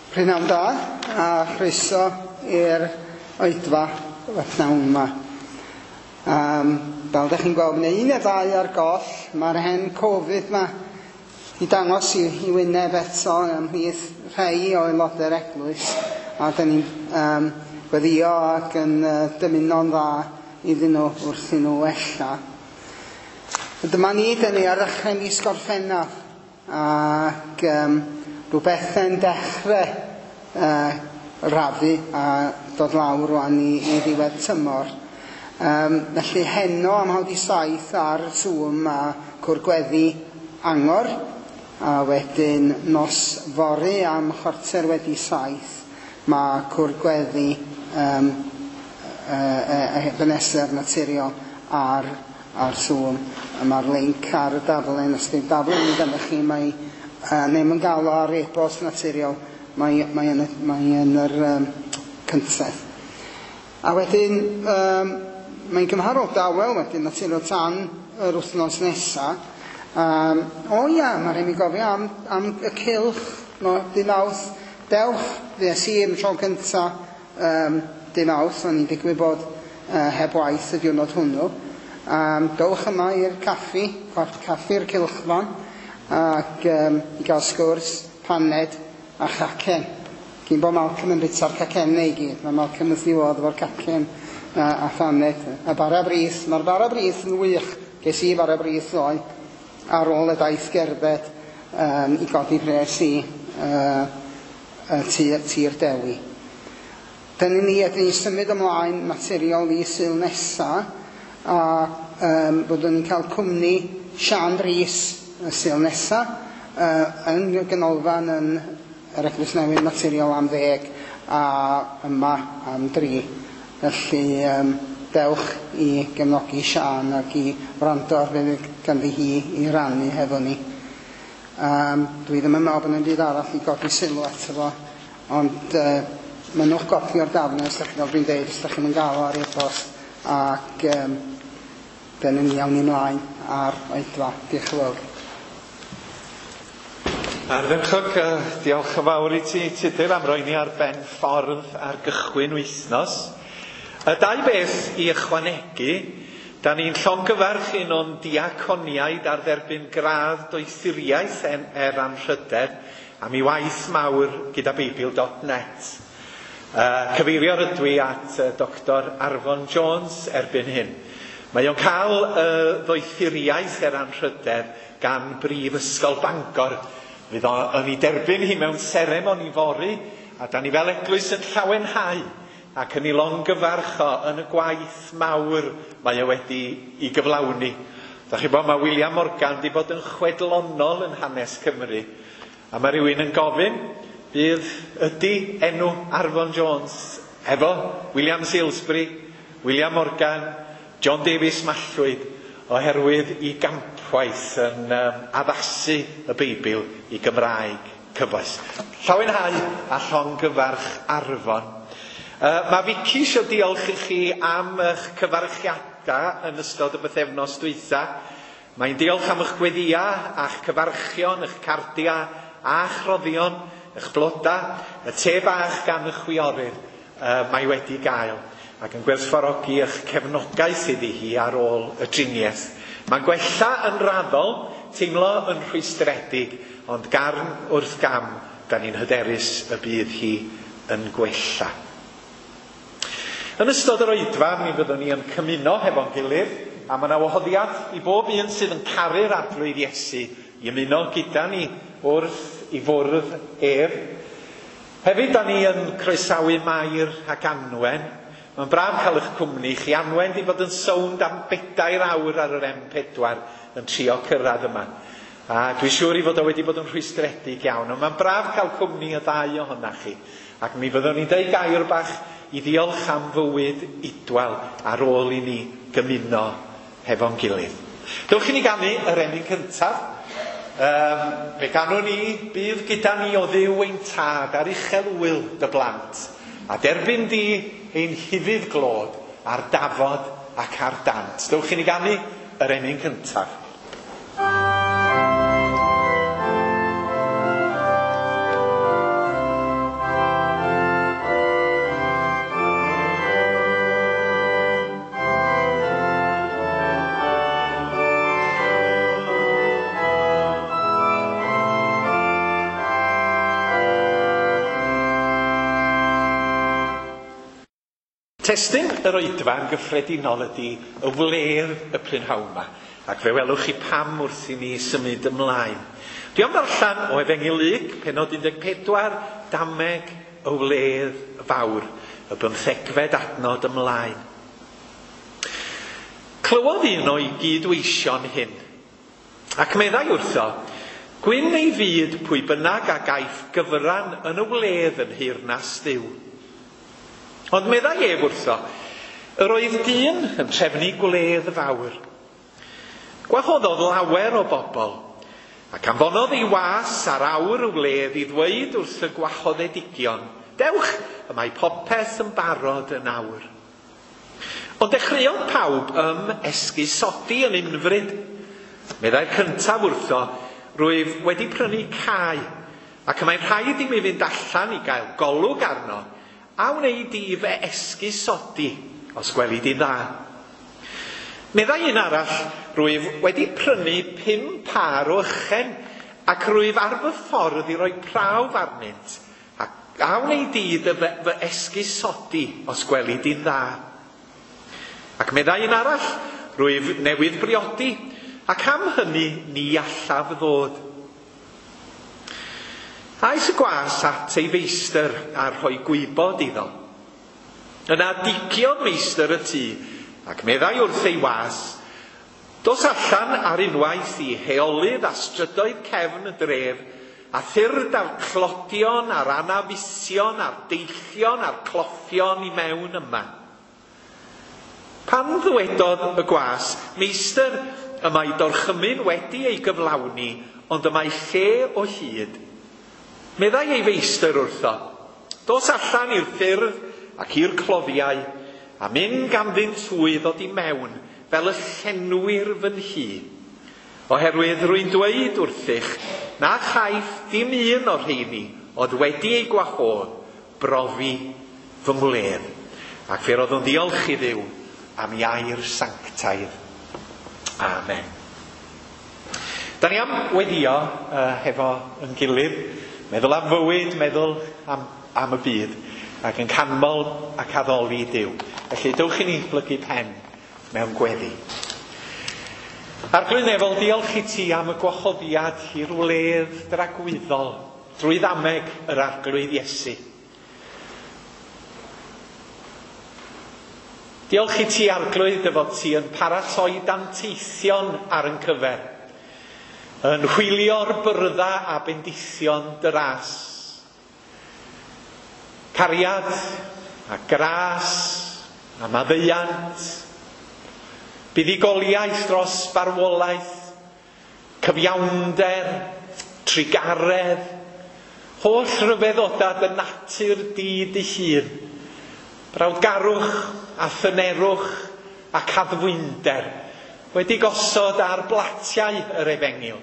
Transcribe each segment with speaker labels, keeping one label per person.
Speaker 1: Prynhawn da a chroeso i'r oedfa y pnawn yma. Um, fel ydych chi'n gweld, mae un neu ddau ar goll. Mae'r hen Covid ma i dangos i, i wyneb eto ymhlith rhai o aelodau'r eglwys. A dyn ni'n um, gweddio ac yn uh, dymuno'n dda iddyn nhw wrth i nhw wella. Dyma ni, dyn ni ar ddechrau mis Gorffennaf ac um, rhywbeth yn dechrau uh, rafu a dod lawr rwan i, i ddiwedd tymor. Um, felly heno am 6:30 ar Zoom a cwrgweddi angor a wedyn nos fory am 7:15 mae cwrgweddi um, uh, Ebenezer naturiol ar, ar Zoom. Mae'r link ar y daflen, os di'r daflen yn gyda chi, mae uh, neu mae'n gael o ar e-bost naturiol, mae, mae yn, mae yn yr um, cyntedd. A wedyn, um, mae'n gymharol dawel wedyn naturiol tan yr wythnos nesa. Um, o ia, mae rhaid mi gofio am, am y cylch no, dy Mawrth. Dewch, fues i am tro cynta um, dy Mawrth, o'n i'n digwydd bod uh, heb waith y diwrnod hwnnw. Um, dowch yma i'r caffi, caffi'r cylchfan, ac um, i gael sgwrs, paned a chacen. Cyn bod Malcolm yn bita'r cacennau i gyd. Mae Malcolm wrth ei fodd efo'r cacen a, a phaned. A bara brith, mae'r bara brith yn wych. Ges i bara brith ddoe ar ôl y daith gerdded um, i godi pres i uh, tir, tir Dewi. Dyna ni, ydyn ni'n symud ymlaen naturiol i Sul nesa a um, byddwn ni'n cael cwmni Sian Rhys y Sul nesa uh, yn y ganolfan yn yr Eglwys Newydd Naturiol am 10 a yma am 3. Felly um, dewch i gefnogi Sian ac i wrando ar beth ganddi hi i rannu hefo ni. Um, dwi ddim yn meddwl bod yna byd arall i godi sylw ato fo, ond uh, mynnwch gopi o'r dafn os ydych chi'n fel dwi'n deud, os ydych chi'n gael o ar e-bost ac um, dyna ni awn ni ymlaen ar oedfa. Diolch yn fawr.
Speaker 2: Ardderchog, uh, diolch yn fawr i ti, Tudur, am roi ni ar ben ffordd ar gychwyn wythnos. Y dau beth i ychwanegu, da ni'n llongyfarch un o'n diaconiaid ar dderbyn gradd doethuriaeth er, er anrhydedd am ei waith mawr gyda Beibl.net. Uh, cyfeirio rydw i at uh, Dr Arfon Jones erbyn hyn. Mae o'n cael uh, ddoethuriaeth er anrhydedd gan Brifysgol Bangor. Fydd o yn ei derbyn hi mewn seremoni fory, a da ni fel eglwys yn llawenhau ac yn ei longyfarch o yn y gwaith mawr mae o wedi i gyflawni. Da chi bod, mae William Morgan wedi bod yn chwedlonol yn hanes Cymru. A mae rhywun yn gofyn, bydd ydy enw Arfon Jones efo William Salesbury, William Morgan, John Davies Mallwyd, oherwydd i gampwaith yn um, addasu y Beibl i Gymraeg cyfoes. Llawenhau a llongyfarch Arfon. Uh, mae Vicky eisiau diolch i chi am eich cyfarchiadau yn ystod y bythefnos dwytha. Mae'n diolch am eich gweddia a'ch cyfarchion, eich cardia a'ch roddion, eich bloda, y te bach gan y chwiorydd uh, mae wedi gael ac yn gwerthfawrogi eich cefnogaeth iddi hi ar ôl y driniaeth. Mae'n gwella yn raddol, teimlo yn rhwystredig, ond garn wrth gam, da ni'n hyderus y bydd hi yn gwella. Yn ystod yr oedfa, mi fyddwn ni yn cymuno hefo'n gilydd, a mae yna wahoddiad i bob un sydd yn caru'r arglwydd Iesu i ymuno gyda ni wrth i fwrdd ef. Hefyd, da ni yn croesawu Mair ac Anwen. Mae'n braf cael eich cwmni chi. Anwen di bod yn sownd am 4 awr ar yr M4 yn trio cyrraedd yma. A dwi'n siŵr i fod o wedi bod yn rhwystredig iawn, ond mae'n braf cael cwmni y ddau ohonach chi. Ac mi fyddwn ni'n deud gair bach i ddiolch am fywyd Idwal ar ôl i ni gymuno hefo'n gilydd. Dewch i ni ganu yr emyn cyntaf. Um, fe ganwn ni, bydd gyda ni o Dduw ein tad ar uchel wyl dy blant, a derbyn di ein hufudd glod ar dafod ac ar dant. Dewch i ni ganu yr emyn cyntaf. Testun yr oedfa yn gyffredinol ydy y wledd y prynhawn yma, ac fe welwch chi pam wrth i ni symud ymlaen. Dwi am ddarllen o Efengyl Luc, pennod 14, dameg y wledd fawr, y bymthegfed adnod ymlaen. Clywodd un o'i gydweision hyn, ac meddai wrtho, gwyn ei fyd pwy bynnag a gaiff gyfran yn y wledd yn nheyrnas Dduw. Ond meddai ef wrtho, yr oedd dyn yn trefnu gwledd fawr. Gwahoddodd lawer o bobl, ac anfonodd ei was ar awr y wledd i ddweud wrth y gwahoddedigion, dewch, y mae popeth yn barod yn awr. Ond dechreuodd pawb ym esgusodi yn unfryd. Meddai'r cyntaf wrtho, rwyf wedi prynu cae, ac y mae'n rhaid i mi fynd allan i gael golwg arno, a wnei di fy esgusodi, os gweli di dda. Meddai un arall, rwyf wedi prynu 5 pâr o ychen, ac rwyf ar fy ffordd i roi prawf arnynt, ac a wnei di dy fy esgusodi, os gweli di'n dda. Ac meddai un arall, rwyf newydd briodi, ac am hynny ni allaf ddod. Aeth y gwas at ei feistr a rhoi gwybod iddo. Yna digiodd meistr y tŷ, ac meddai wrth ei was, dos allan ar unwaith i heolydd a strydoedd cefn y dref, a thyrd a'r clodion a'r anafusion a'r deillion a'r cloffion i mewn yma. Pan ddywedodd y gwas, meistr, y mae dorchymyn wedi ei gyflawni, ond y mae lle o hyd. Meddai ei feistr wrtho, dos allan i'r ffyrdd ac i'r cloddiau, a mynd ganddynt hwy ddod i mewn fel y llenwir fy nhŷ. Oherwydd rwy'n dweud wrthych na chaiff dim un o'r rheini oedd wedi ei gwahodd brofi fy ngwledd. Ac fe roeddwn ddiolch i Dduw am ei air sanctaidd. Amen. Da ni am weddio hefo yn gilydd, meddwl am fywyd, meddwl am y byd, ac yn canmol ac addoli Duw. Felly, dewch i ni blygu pen mewn gweddi. Arglwydd Nefol, diolch i ti am y gwahoddiad i'r wledd dragwyddol drwy ddameg yr Arglwydd Iesu. Diolch i ti, Arglwydd, dy fod ti yn paratoi danteithion ar yn cyfer, yn hwylio'r byrdda a bendithion dy ras. Cariad a gras a maddeuant, buddugoliaeth dros farwolaeth, cyfiawnder, trugaredd, holl ryfeddodau dy natur di dy hun, brawdgarwch a thynerwch ac addfwynder wedi gosod ar blatiau yr efengyl,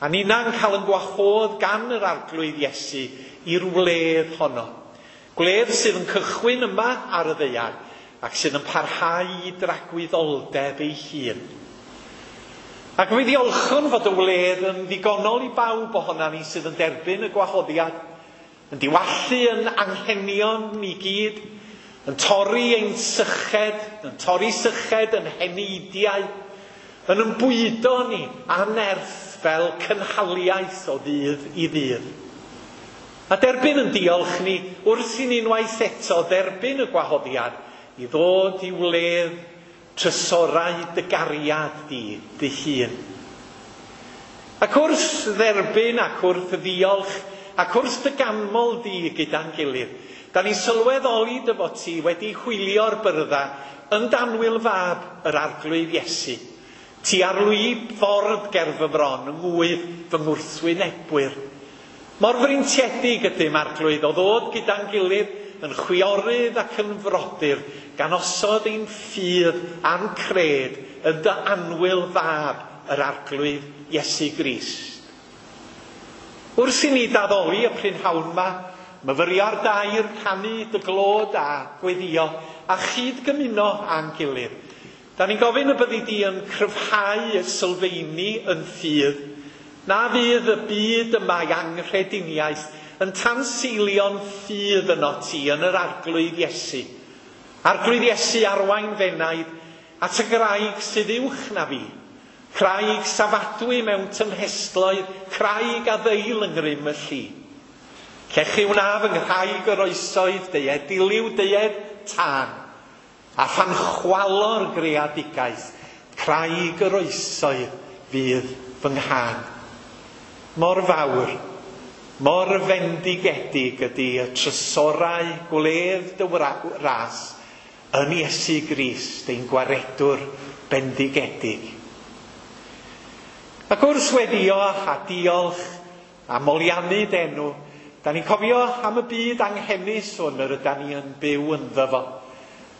Speaker 2: a ninna'n cael yn gwahodd gan yr Arglwydd Iesu i'r wledd honno. Gwledd sydd yn cychwyn yma ar y ddaear ac sydd yn parhau i dragwyddoldeb ei hun. Ac mi ddiolchwn fod y wledd yn ddigonol i bawb ohonan ni sydd yn derbyn y gwahoddiad, yn diwallu yn anghenion ni gyd, yn torri ein syched, yn torri syched yn heneidiau, yn ymbwydo ni a nerth fel cynhaliaeth o ddydd i ddydd. A derbyn yn diolch ni wrth i ni unwaith eto dderbyn y gwahoddiad i ddod i wledd trysorau dy gariad di dy hun. Ac wrth dderbyn ac wrth ddiolch ac wrth dy ganmol di gyda'n gilydd, da ni'n sylweddoli dy fod ti wedi hwylio'r byrdda yn danwyl fab yr Arglwydd Iesu. Ti ar lwyb ffordd ger fy mron yng ngwydd fy ngwrthwynebwyr. Mor freintiedig ydym, Arglwydd, o ddod gyda'n gilydd yn chwiorydd ac yn frodyr, gan osod ein ffydd a'n cred yn dy annwyl fab yr Arglwydd Iesu Grist. Wrth i ni daddoli y prynhawn yma, myfyrio ar dair, canu dy glod a gweddio, a chyd-gymuno â'n gilydd. Da ni'n gofyn y byddi di yn cryfhau y sylfeini yn ffydd, na fydd y byd yma i anghrediniaeth yn tanseilio'n ffydd yno ti yn yr Arglwydd Iesu. Arglwydd Iesu arwain f'enaid at y graig sydd uwch na fi. Craig safadwy mewn tymhestloedd, craig a ddeil yng ngrym y lli. Llechi wna fy nghraig yr oesoedd, deued diliw, deued tân, a phan chwalo'r greadigaeth, craig yr oesoedd fydd fy nghân. Mor fawr, mor fendigedig ydy y trysorau gwledd dy ras yn Iesu Grist, ein gwaredwr bendigedig. Ac wrth weddio a diolch a moliannu d'enw, da ni'n cofio am y byd anghenus hwn yr ydan ni yn byw ynddo fo.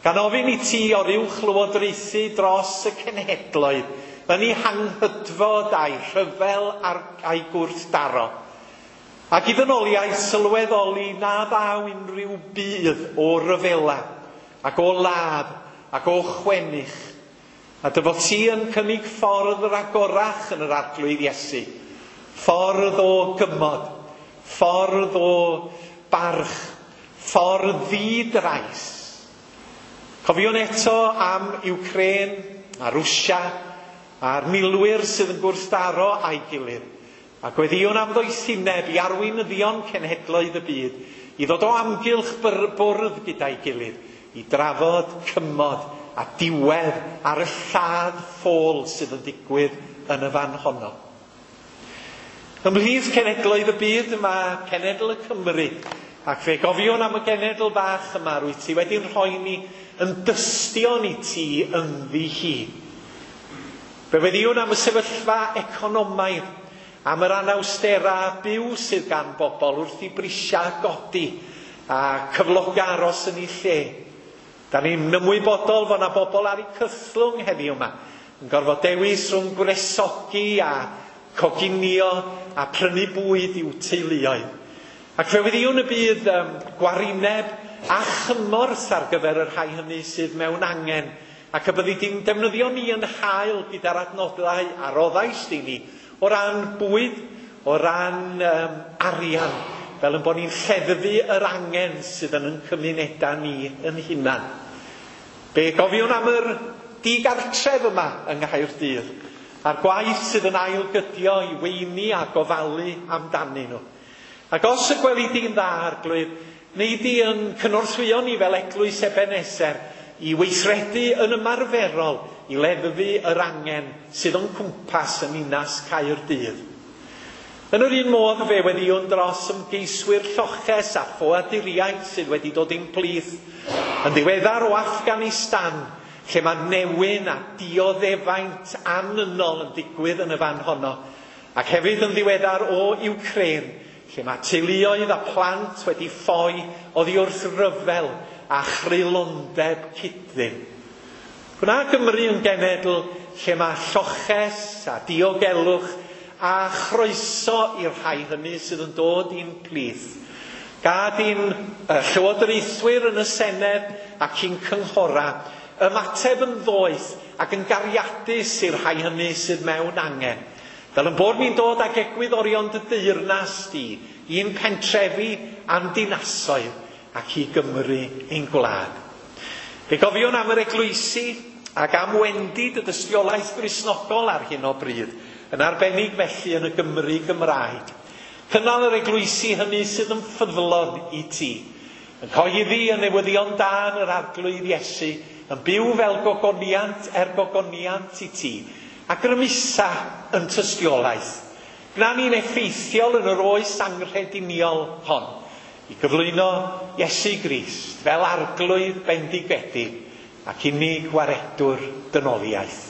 Speaker 2: Gan ofyn i ti oruwch lywodraethu dros y cenhedloedd, yn ei hanghydfod a'i rhyfel a'i gwrthdaro. Ac i ddynoliaeth sylweddoli na ddaw unrhyw budd o ryfela, ac o ladd, ac o chwennych. A dy fod ti yn cynnig ffordd ragorach yn yr Arglwydd Iesu. Ffordd o gymod, ffordd o barch, ffordd ddi-drais. Cofiwn eto am Ukraine a Rwsia a'r milwyr sydd yn gwrthdaro a'i gilydd. A gweddïwn am ddoethineb i arweinyddion cenhedloedd y byd i ddod o amgylch bwrdd gyda'i gilydd, i drafod cymod a diwedd ar y lladd ffôl sydd yn digwydd yn y fan honno. Ymhlith cenhedloedd y byd mae cenedl y Cymru, ac fe gofiwn am y genedl bach yma rwyt ti wedi'n rhoi ni yn dystion i ti ynddi hi. Fe weddïwn am y sefyllfa economaidd, am yr anawstera byw sydd gan bobl wrth i brisiau godi a cyfloga aros yn ei lle. Da ni'n ymwybodol fod yna bobl ar eu cythlwng heddiw yma, yn gorfod dewis rhwng gwresogi a coginio a prynu bwyd i'w teuluoedd. Ac fe weddïwn y bydd gwarineb a chymorth ar gyfer y rhai hynny sydd mewn angen, ac y byddi di'n defnyddio ni yn hael gyda'r adnoddau a roddaist i ni o ran bwyd, o ran arian, fel yn bod ni'n lleddfu yr angen sydd yn ein cymunedau ni yn hunan. Fe gofiwn am yr digartref yma yng Nghaerdydd, a'r gwaith sydd yn ailgydio i weini a gofalu amdanyn nhw. Ac os y gweli di'n dda, Arglwydd, neu di yn cynorthwyo ni fel Eglwys Ebeneser i weithredu yn ymarferol i leddfu yr angen sydd o'n cwmpas yn ninas Caerdydd. Yn yr un modd fe weddïwn dros ymgeiswyr lloches a ffoaduriaid sydd wedi dod i'n plith yn ddiweddar o Afghanistan, lle mae newyn a dioddefaint annynol yn digwydd yn y fan honno, ac hefyd yn ddiweddar o Ukraine, lle mae teuluoedd a plant wedi ffoi oddi wrth ryfel a chreulondeb cyd-ddim. Gwna Gymru yn genedl lle mae lloches a diogelwch a chroeso i'r rhai hynny sydd yn dod i'n plith. Gad i'n llywodraethwyr yn y Senedd ac i'n cynghora ymateb yn ddoeth ac yn gariadus i'r rhai hynny sydd mewn angen. Fel yn bod ni'n dod ag egwyddorion dy deyrnas di i'n pentrefi a'n dinasoedd ac i Gymru ein gwlad. Fe gofiwn am yr eglwysi ac am wendid y dystiolaeth Gristnogol ar hyn o bryd, yn arbennig felly yn y Gymru Gymraeg. Cynnal yr eglwysi hynny sydd yn ffyddlon i ti, yn cyhoeddi y newyddion da yn yr Arglwydd Iesu, yn byw fel gogoniant er gogoniant i ti, a grymusa yn tystiolaeth. Gwna ni'n effeithiol yn yr oes anghrediniol hon, i gyflwyno Iesu Grist fel Arglwydd bendigedig ac unig waredwr dynoliaeth.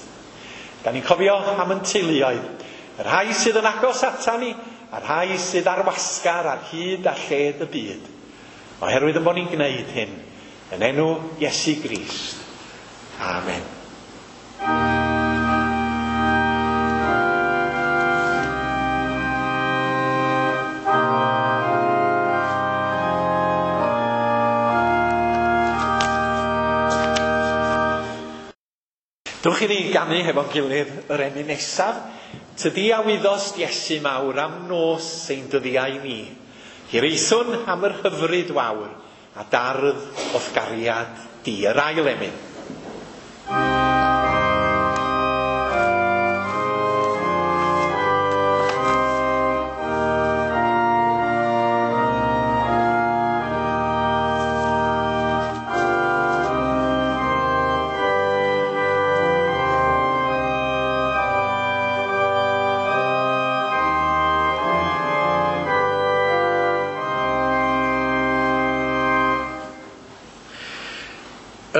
Speaker 2: Da ni'n cofio am yn teuluoedd, y rhai sydd yn agos ata ni, a'r rhai sydd ar wasgar ar hyd a lled y byd. Oherwydd yn bod ni'n gwneud hyn, yn enw Iesu Grist. Amen. Dewch i ni ganu hefo'n gilydd yr emyn nesaf. Tydi a wyddost Iesu mawr am nos ein dyddiau ni. Hiraethwn am yr hyfryd wawr a dardd o'th gariad di, yr ail emyn.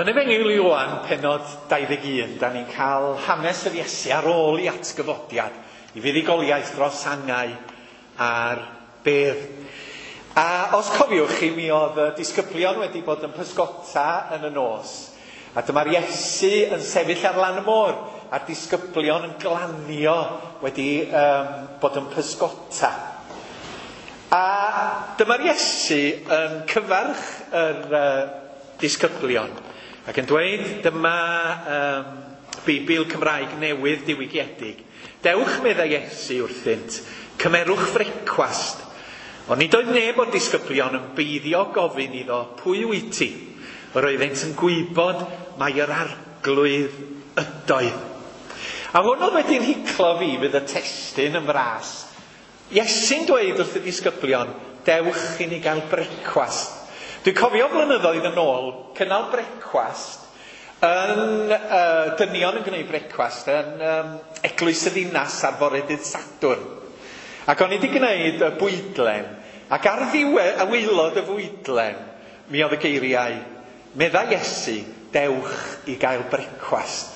Speaker 2: Yn Efengyl Ioan, pennod 21, da ni'n cael hanes yr Iesu ar ôl i atgyfodiad, i fuddugoliaeth dros angau a'r bedd. A os cofiwch chi, mi oedd y disgyblion wedi bod yn pysgota yn y nos. A dyma'r Iesu yn sefyll ar lan y môr, a'r disgyblion yn glanio wedi bod yn pysgota. A dyma'r Iesu yn cyfarch yr disgyblion. Ac yn dweud, dyma Beibl Cymraeg newydd diwygiedig. Dewch, meddai Iesu wrthynt, cymerwch frecwast. Ond nid oedd neb o'r disgyblion yn beiddio gofyn iddo, pwy wyt ti? Yr oeddent yn gwybod mai yr Arglwydd ydoedd. A hwn oedd wedi'n hiclo fi fydd y testun yn fras. Iesu'n dweud wrth y disgyblion, dewch i ni gael brecwast. Dwi'n cofio blynyddoedd yn ôl, cynnal brecwast, yn dynion yn gwneud brecwast yn Eglwys y Ddinas ar fore dydd Sadwrn. Ac o'n i wedi gwneud y bwydlen, ac ar ddiwedd, a waelod y fwydlen, mi oedd y geiriau, meddai Iesu, dewch i gael brecwast.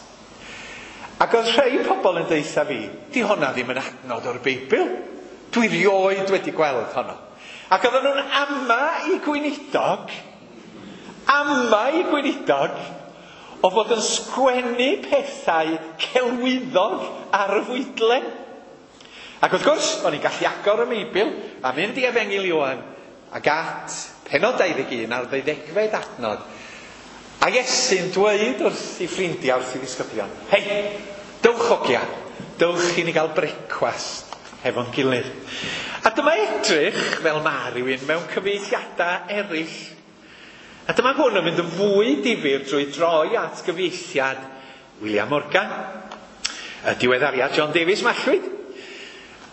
Speaker 2: Ac oedd rhai pobl yn deutha fi, di honna ddim yn adnod o'r Beibl. Dwi rioed wedi gweld honno. Ac oedden nhw'n ama i gweinidog, o fod yn sgwennu pethau celwyddog ar y fwydlen. Ac wrth gwrs, o'n i'n gallu agor y Meibl a mynd i Efengyl Ioan ac at pennod 21 a'r 12fed adnod. A Iesu'n dweud wrth ei ffrindiau, wrth ei ddisgyblion, hei, dewch hogia, dewch i ni gael brecwast hefo'n gilydd. A dyma edrych fel ma rhywun mewn cyfieithiadau eraill. A dyma hwn yn mynd yn fwy difyr drwy droi at gyfieithiad William Morgan, y diweddariad John Davies Mallwyd.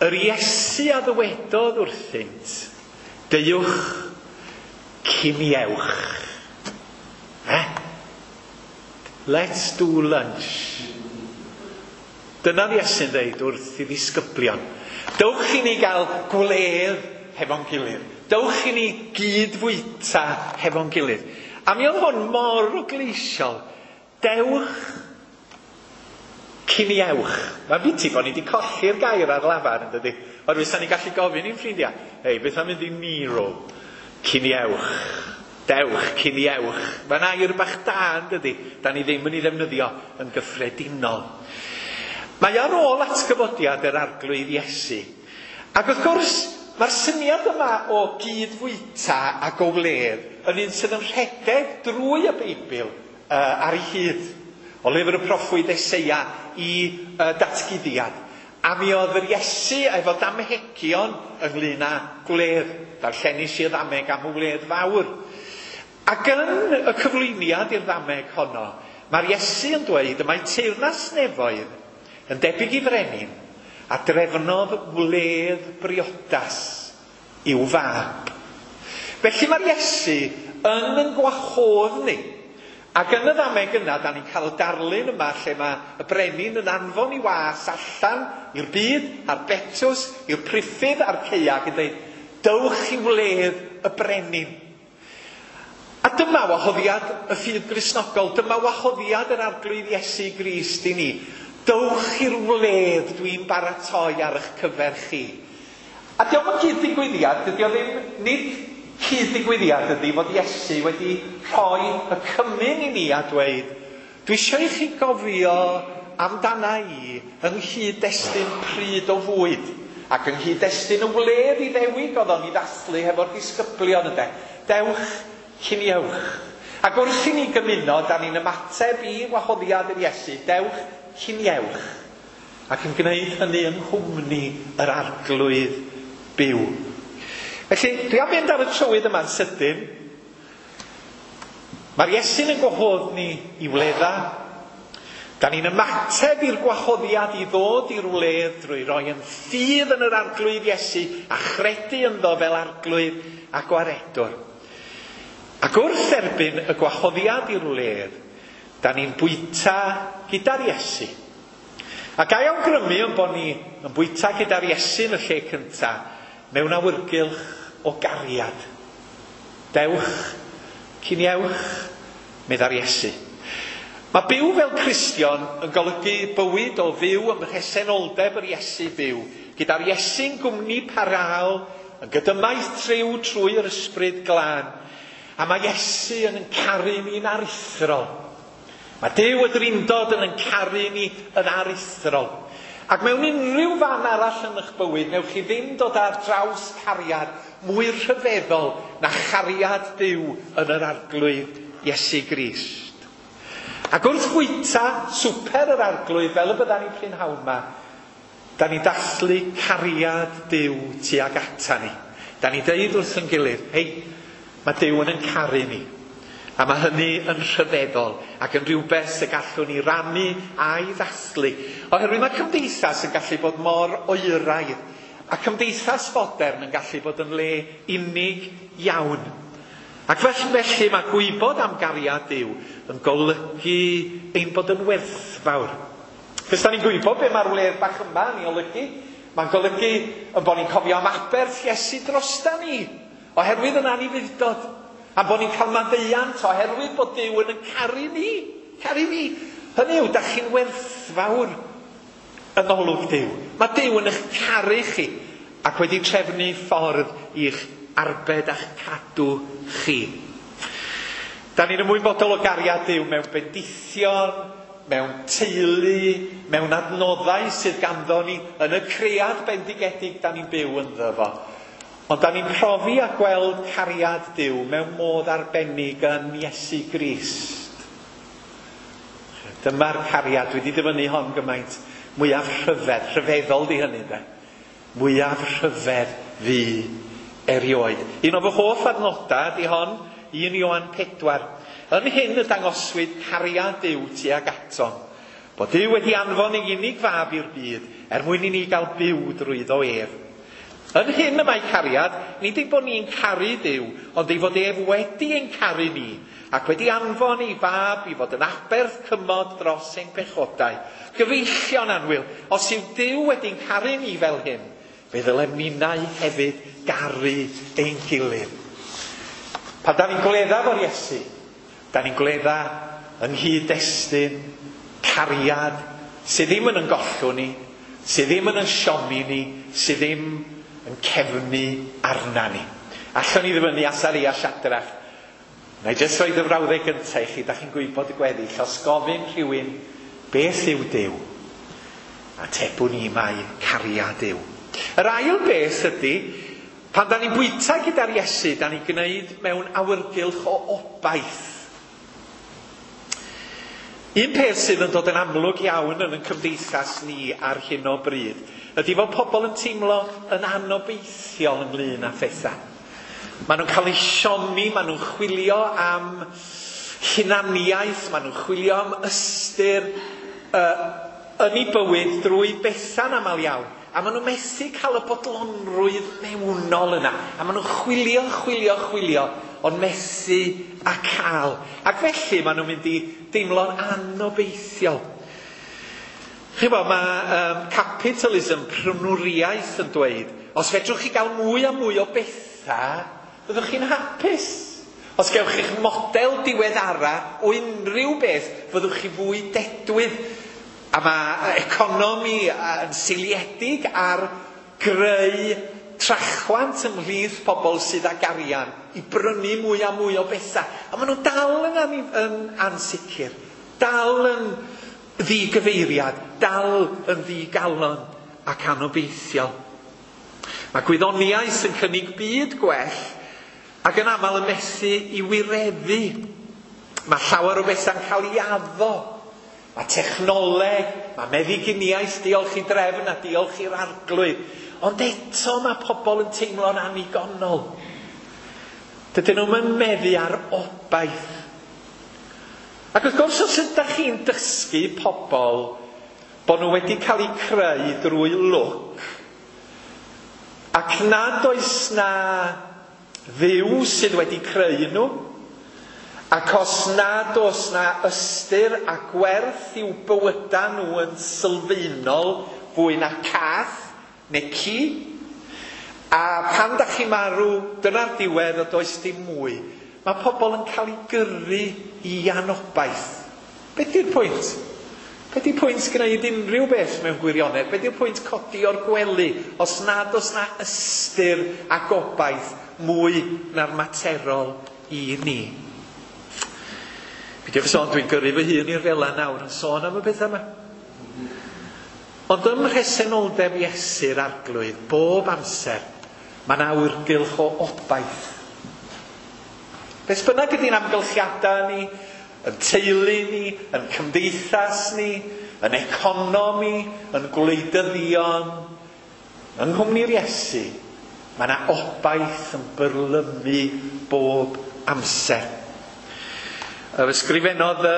Speaker 2: Yr Iesu a ddywedodd wrthynt, deuwch ciniewch. Let's do lunch. Dyna'r Iesu'n dweud wrth i ddisgyblion. Dewch i ni gael gwledd hefo'n gilydd. Dewch i ni gyd-fwyta hefo'n gilydd. A mi oedd hwn mor ogleisiol. Dewch ciniewch. Mae'n biti bod ni wedi colli'r gair ar lafar, yn dydi? Oherwydd sa'n ni gallu gofyn i'n ffrindiau, hei, beth am mynd i Nero? Ciniewch. Dewch, ciniewch. Mae'n air bach da, yn dydi? Da ni ddim yn ei ddefnyddio yn gyffredinol. Mae ar ôl atgyfodiad yr Arglwydd Iesu. Ac wrth gwrs, mae'r syniad yma o gyd-fwyta ac o wledd yn un sydd yn rhedeg drwy y Beibl ar ei hyd. O lyfr y proffwyd Eseia i datguddiad. A mi oedd yr Iesu efo damhegion ynglyn â gwledd. Darllenis i y ddameg am y wledd fawr. Ac yn y cyflwyniad i'r ddameg honno, mae'r Iesu yn dweud y mae teyrnas nefoedd yn debyg i frenin a drefnodd wledd briodas i'w fab. Felly mae'r Iesu yn gwahodd ni. Ac yn y ddameg yna, da ni'n cael y darlun yma lle mae y brenin yn anfon i was allan i'r byd, a'r betws, i'r priffydd a'r caeau, yn dweud, dewch i wledd y brenin. A dyma wahoddiad y ffydd Gristnogol, dyma wahoddiad yr Arglwydd Iesu Grist i ni. Dewch i'r wledd dwi'n baratoi ar eich cyfer chi. A diolch yn cyd-ddigwyddiad, dydy o ddim, nid cyd-ddigwyddiad ydy fod Iesu wedi rhoi y cymyn i ni a dweud, dwi eisiau i chi gofio amdana i yng nghyd-destun pryd o fwyd ac yng nghyd-destun y wledd i ddewig oedd o'n i ddathlu hefo'r disgyblion ynde. Dewch ciniewch. Ac wrth i ni gymuno, da ni'n ymateb i wahoddiad yr Iesu, dewch ciniewch, ac yn gwneud hynny yng nghwmni yr Arglwydd byw. Felly, dwi am fynd ar y trywydd yma'n sydyn. Mae'r Iesu'n yn gwahodd ni i wledda. Da ni'n ymateb i'r gwahoddiad i ddod i'r wledd drwy roi yn ffydd yn yr arglwydd Iesu a chredu ynddo fel arglwydd a gwaredwr. Ac wrth erbyn y gwahoddiad i'r wledd, da ni'n bwyta gyda'r Iesu. A ga i awgrymu yn bod ni yn bwyta gyda'r Iesu yn y lle cyntaf mewn awyrgylch o gariad. Dewch, ciniewch, medda'r Iesu. Mae byw fel Cristion yn golygu bywyd o fyw ym mhresenoldeb yr Iesu byw, gyda'r Iesu'n gwmni parhaol, yn gydymaith triw trwy'r ysbryd glân. A mae Iesu yn yn caru ni'n aruthrol. Mae Duw y Drindod yn yn caru ni yn aruthrol. Ac mewn unrhyw fan arall yn eich bywyd, newch chi ddim dod ar draws cariad mwy rhyfeddol na chariad Duw yn yr arglwydd Iesu Grist. Ac wrth fwyta swper yr arglwydd fel y byddan ni prynhawn yma, da ni dathlu cariad Duw tuag ata ni. Da ni deud wrth yn gilydd, hei, mae Duw yn yn caru ni. A mae hynny yn rhyfeddol ac yn rhywbeth y gallwn ni rannu a'i ddathlu. Oherwydd mae cymdeithas yn gallu bod mor oeraidd a cymdeithas fodern yn gallu bod yn le unig iawn. Ac felly mae gwybod am gariad Duw yn golygu ein bod yn werthfawr. Cos da ni'n gwybod be mae'r wledd bach yma yn ei olygu. Mae'n golygu yn bod ni'n cofio am aberth Iesu drosta ni, oherwydd yn anufudd-dod. A bod ni'n cael maddeuant oherwydd bod Duw yn caru ni. Caru ni. Hynny yw, da chi'n werthfawr yn olwg Duw. Mae Duw yn eich caru chi ac wedi trefnu ffordd i'ch arbed a'ch cadw chi. Da ni'n ymwybodol o gariad Duw mewn bendithion, mewn teulu, mewn adnoddau sydd ganddo ni yn y cread bendigedig da ni'n byw ynddo fo. Ond da ni'n profi a gweld cariad Duw mewn modd arbennig yn Iesu Grist. Dyma'r cariad, dwi wedi dyfynnu hon gymaint, mwyaf rhyfedd, rhyfeddol di hynny de. Mwyaf rhyfedd fu erioed. Un o fy hoff adnodau di hon, 1 Ioan 4. Yn hyn y dangoswyd cariad Duw tuag atom. Bod Duw wedi anfon ei unig fab i'r byd er mwyn i ni gael byw drwyddo ef. Yn hyn y mae cariad, nid ein bod ni'n caru Duw, ond ei fod ef wedi ein caru ni, ac wedi anfon ei fab i fod yn aberth cymod dros ein pechodau. Gyfeillion annwyl, os yw Duw wedi'n caru ni fel hyn, fe ddylem ninnau hefyd garu ein gilydd. Pan da ni'n gwledda fo'r Iesu, da ni'n gwledda yng nghyd-destun cariad sydd ddim yn yn gollwng ni, sydd ddim yn yn siomi ni, sydd ddim yn cefnu arna ni. Allwn ni ddyfynnu Asaria Siadrach. Na i jyst roed y frawddeg gyntaf i chi, da chi'n gwybod y gweddill. Os gofyn rhywun, beth yw Duw? Atebwn ni mai cariad yw. Yr ail beth ydy, pan da ni'n bwyta gyda'r Iesu, da ni'n gwneud mewn awyrgylch o obaith. Un peth sydd yn dod yn amlwg iawn yn ein cymdeithas ni ar hyn o bryd ydy fod pobl yn teimlo yn anobeithiol ynglyn â phethau. Maen nhw'n cael eu siomi, maen nhw'n chwilio am hunaniaeth, maen nhw'n chwilio am ystyr yn eu bywyd drwy bethau'n aml iawn. A maen nhw'n methu cael y bodlonrwydd mewnol yna. A maen nhw'n chwilio, chwilio, chwilio, ond methu a cael. Ac felly maen nhw'n mynd i deimlo'n anobeithiol. Chi'n gwybod, mae capitalism, prynwriaeth yn dweud, os fedrwch chi gael mwy a mwy o bethau, byddwch chi'n hapus. Os gewch chi'ch model diweddara o unrhyw beth, fyddwch chi fwy dedwydd. A mae economi yn seiliedig ar greu trachwant ymhlith pobl sydd ag arian i brynu mwy a mwy o bethau. A maen nhw dal yn ansicr, dal yn ddigyfeiriad, dal yn ddigalon ac anobeithiol. Mae gwyddoniaeth yn cynnig byd gwell ac yn aml yn methu i wireddu. Mae llawer o bethau'n cael ei addo. Mae technoleg, mae meddyginiaeth, diolch i drefn a diolch i'r arglwydd. Ond eto mae pobl yn teimlo'n annigonol. Dydyn nhw'm yn meddu ar obaith. Ac wrth gwrs, os ydych chi'n dysgu pobl bod nhw wedi cael eu creu drwy lwc, ac nad oes na Dduw sydd wedi creu nhw, ac os nad oes na ystyr a gwerth i'w bywydau nhw yn sylfaenol fwy na cath neu ci, a pan da chi'n marw, dyna'r diwedd a does dim mwy. Mae pobl yn cael eu gyrru i anobaith. Be di'r pwynt? Be di'r pwynt gwneud unrhyw beth mewn gwirionedd? Be di'r pwynt codi o'r gwely os nad oes na ystyr a gobaith mwy na'r materol i ni? Peidiwch sôn, dwi'n gyrru fy hun i'r fela nawr yn sôn am y pethau yma. Ond ym mhresenoldeb Iesu'r Arglwydd, bob amser, mae yna awyrgylch o obaith. Beth bynnag ydy'n amgylchiadau ni, yn teulu ni, yn cymdeithas ni, yn economi, yn gwleidyddion, yng nghwmni'r Iesu, mae yna obaith yn byrlymu bob amser. Yr ysgrifennodd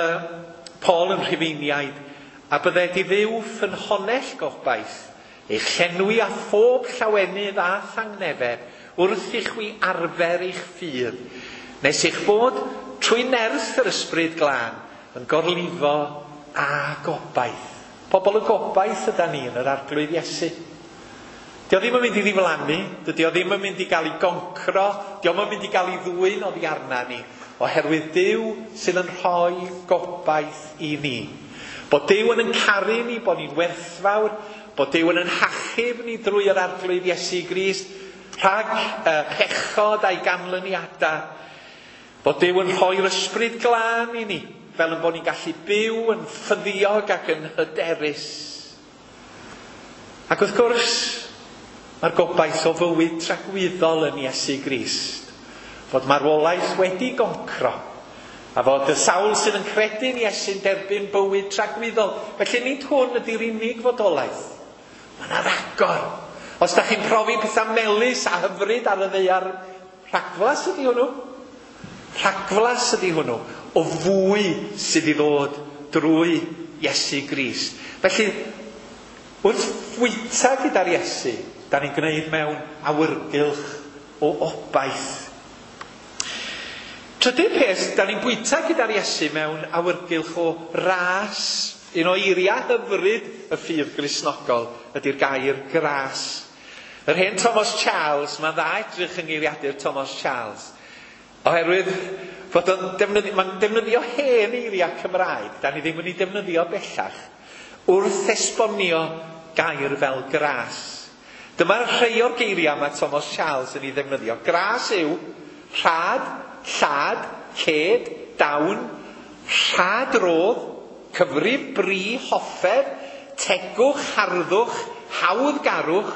Speaker 2: Paul yn Rhufeiniaid, a bydded i Dduw ffynhonnell gobaith, eich llenwi â phob llawenydd a thangnefedd wrth i chwi arfer eich ffydd, nes eich bod trwy nerth yr Ysbryd Glân yn gorlifo â gobaith. Pobl y gobaith yda ni yn yr Arglwydd Iesu. Dio ddim yn mynd i ddiflannu, dydy o ddim yn mynd i gael ei goncro, dio ddim yn mynd i gael ei ddwyn oddi arna ni, oherwydd Duw sydd yn rhoi gobaith i ni. Bod Duw yn caru ni, bod ni'n werthfawr, bod Duw yn hachub ni drwy yr Arglwydd Iesu Grist, rhag pechod a'i ganlyniadau. Bod Duw yn rhoi'r Ysbryd Glân i ni, fel yn bod ni'n gallu byw yn ffyddiog ac yn hyderus. Ac wrth gwrs, mae'r gobaith o fywyd tragwyddol yn Iesu Grist, fod marwolaeth wedi goncro, a fod y sawl sydd yn credu'n Iesu'n derbyn bywyd tragwyddol. Felly nid hwn ydy'r unig fodolaeth. Mae yna ragor. Os da chi'n profi pethau melys a hyfryd ar y ddaear, rhagflas ydy hwnnw. Rhagflas ydy hwnnw o fwy sydd i ddod drwy Iesu Grist. Felly, wrth fwyta gyda'r Iesu, da ni'n gwneud mewn awyrgylch o obaith. Trydydd peth, da ni'n bwyta gyda'r Iesu mewn awyrgylch o ras. Un o eiriau hyfryd y ffydd Gristnogol ydy'r gair gras. Yr hen Thomas Charles, mae'n dda edrych yng ngeiriadur Thomas Charles, oherwydd fod o'n defnyddio, mae'n defnyddio hen eiriau Cymraeg, da ni ddim yn ei defnyddio bellach, wrth esbonio gair fel gras. Dyma'r rhai o'r geiriau mae Thomas Charles yn ei ddefnyddio. Gras yw rhad, llad, ced, dawn, rhad rodd, cyfrif, bri, hoffeb, tegwch, harddwch, hawddgarwch,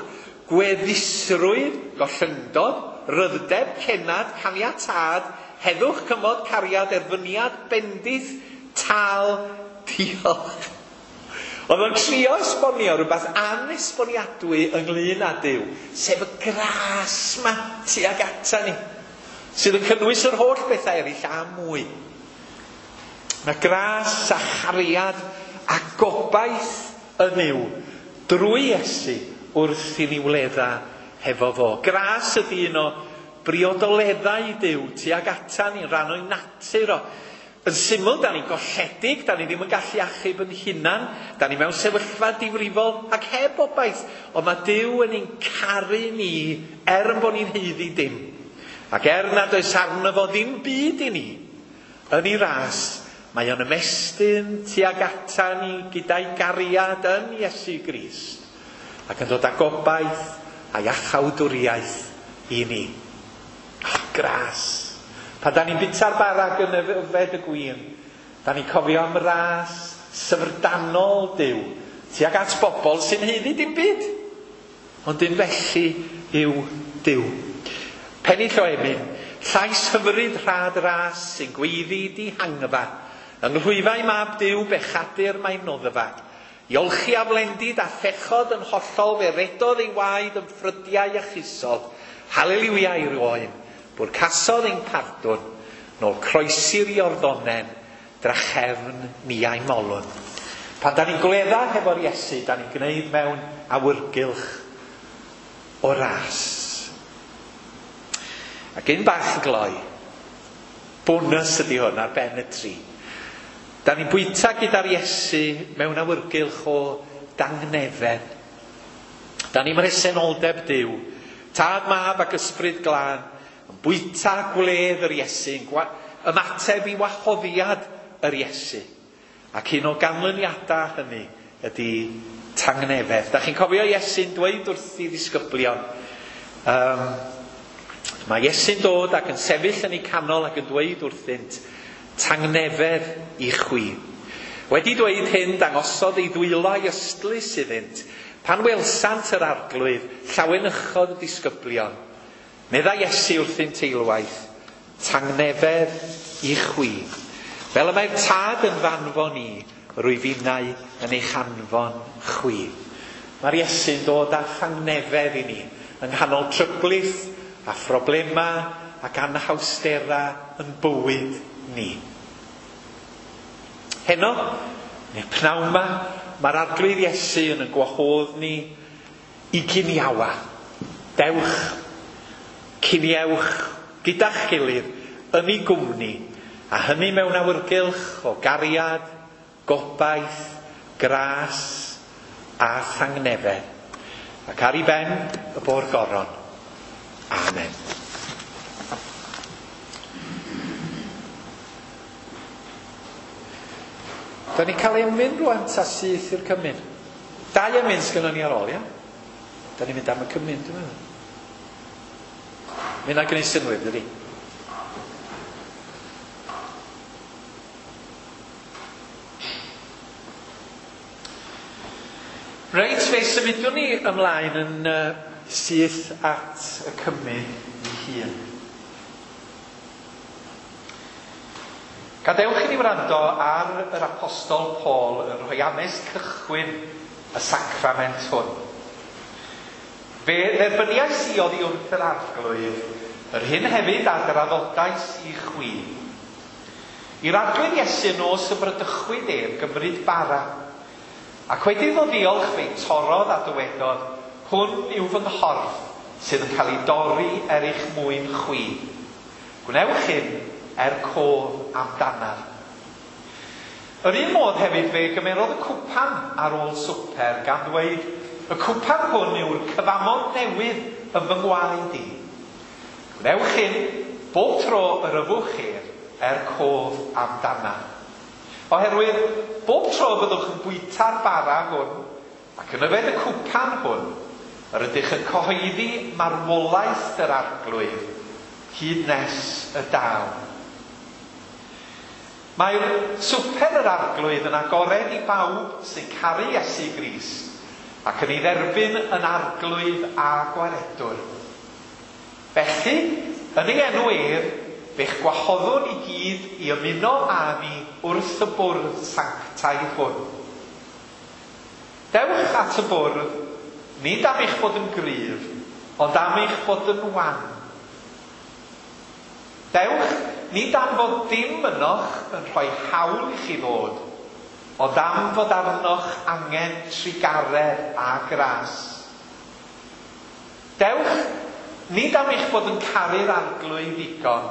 Speaker 2: gweddusrwydd, gollyngdod, rhyddeb, cenad, caniatâd, heddwch, cymod, cariad, erfyniad, bendith, tal, diolch. Oedd o'n trio esbonio rhywbeth anesboniadwy ynglyn â Duw, sef y gras ma tuag ata ni, sydd yn cynnwys yr holl bethau eraill a mwy. Mae gras a chariad a gobaith yn Nuw drwy Iesu wrth i ni wledda hefo fo. Gras ydy un o briodoleddau Duw tuag ata ni'n rhan o'i natur o. Yn syml, da ni'n golledig, da ni ddim yn gallu achub yn hunan, da ni mewn sefyllfa difrifol ac heb obaith, ond mae Duw yn ein caru ni er yn bod ni'n haeddu dim. Ac er nad oes arno fo ddim byd i ni, yn ei ras, mae o'n ymestyn tuag ata ni gyda'i gariad yn Iesu Grist, ac yn dod â gobaith a iachawdwriaeth i ni. Oh, gras. Pan da ni'n bwyta'r bara ac yn yfed y gwin, da ni'n cofio am ras syfrdanol Duw tuag at bobl sy'n haeddu dim byd. Ond un felly yw Duw. Pennill o emyn, llais hyfryd rhad ras sy'n gweiddi dihangfa, yng nghlwyfau mab Duw bechadur mae noddfa. I olchi aflendid a phechod yn hollol fe redodd ei waed yn ffrydiau achusol. Haleliwia i'r oen, bwrcasodd ein pardwn, nôl croesi'r Iorddonen drachefn niau molwn. Pan da ni'n gwledda hefo'r Iesu, da ni'n gwneud mewn awyrgylch o ras. Ac un bach yn gloi, bonus ydy hwn ar ben y tri. Da ni'n bwyta gyda'r Iesu mewn awyrgylch o dangnefedd. Da ni'n mhresenoldeb Duw, Tad, Mab ac Ysbryd Glân, yn bwyta gwledd yr Iesu, yn ymateb i wahoddiad yr Iesu. Ac un o ganlyniadau hynny ydy tangnefedd. Da chi'n cofio Iesu'n dweud wrth i ddisgyblion, mae Iesu'n dod ac yn sefyll yn eu canol ac yn dweud wrthynt, tangnefedd i chwi. Wedi dweud hyn, dangosodd ei ddwylo a'i ystlys iddynt. Pan welsant yr Arglwydd, llawenychodd y disgyblion. Meddai Iesu wrthynt eilwaith, tangnefedd i chwi. Fel y mae'r Tad yn f'anfon i, rwyf innau yn eich anfon chwi. Mae'r Iesu'n dod â thangnefedd i ni, yng nghanol tryblith a phroblemau ac anhawsterau yn bywyd ni. Heno, neu pnawn 'ma, mae'r Arglwydd Iesu yn ein gwahodd ni i giniawa. Dewch, ciniewch gyda'ch gilydd yn ei gwmni, a hynny mewn awyrgylch o gariad, gobaith, gras a thangnefedd. Ac ar ei ben y bo'r goron. Amen. Da ni'n cael emyn rwan ta syth i'r cymun. Dau emyn sgynnon ni ar ôl, ia? Da ni'n mynd am y cymun, dwi'n meddwl. Mae hynna'n gwneud synnwyr, dydy? Reit, fe symudwn ni ymlaen yn syth at y cymun ei hun. Gadewch i ni wrando ar yr Apostol Paul yn rhoi hanes cychwyn y sacrament hwn. Fe dderbyniais i oddi wrth yr Arglwydd yr hyn hefyd a draddodais i chwi. I'r Arglwydd Iesu y nos y bradychwyd ef gymryd bara, ac wedi iddo ddiolch fe'i torrodd a dywedodd, Hwn yw fy nghorff sydd yn cael ei dorri er eich mwyn chwi. Gwnewch hyn er cof amdanaf. Yr un modd hefyd fe gymerodd y cwpan ar ôl swper, gan ddweud, Y cwpan hwn yw'r cyfamod newydd yn fy ngwaed i. Gwnewch hyn bob tro yr yfwch ef, er cof amdanaf. Oherwydd, bob tro y byddwch yn bwyta'r bara hwn ac yn yfed y cwpan hwn, yr ydych yn cyhoeddi marwolaeth yr Arglwydd hyd nes y daw. Mae'r Swper yr Arglwydd yn agored i bawb sy'n caru Iesu Grist ac yn ei dderbyn yn Arglwydd a Gwaredwr. Felly, yn ei enw ef, fe'ch gwahoddwn i gyd i ymuno â ni wrth y bwrdd sanctaidd hwn. Dewch at y bwrdd, nid am eich bod yn gryf, ond am eich bod yn wan. Dewch, nid am fod dim ynoch yn rhoi hawl i chi ddod, ond am fod arnoch angen trugaredd a gras. Dewch, nid am eich bod yn caru'r Arglwydd ddigon,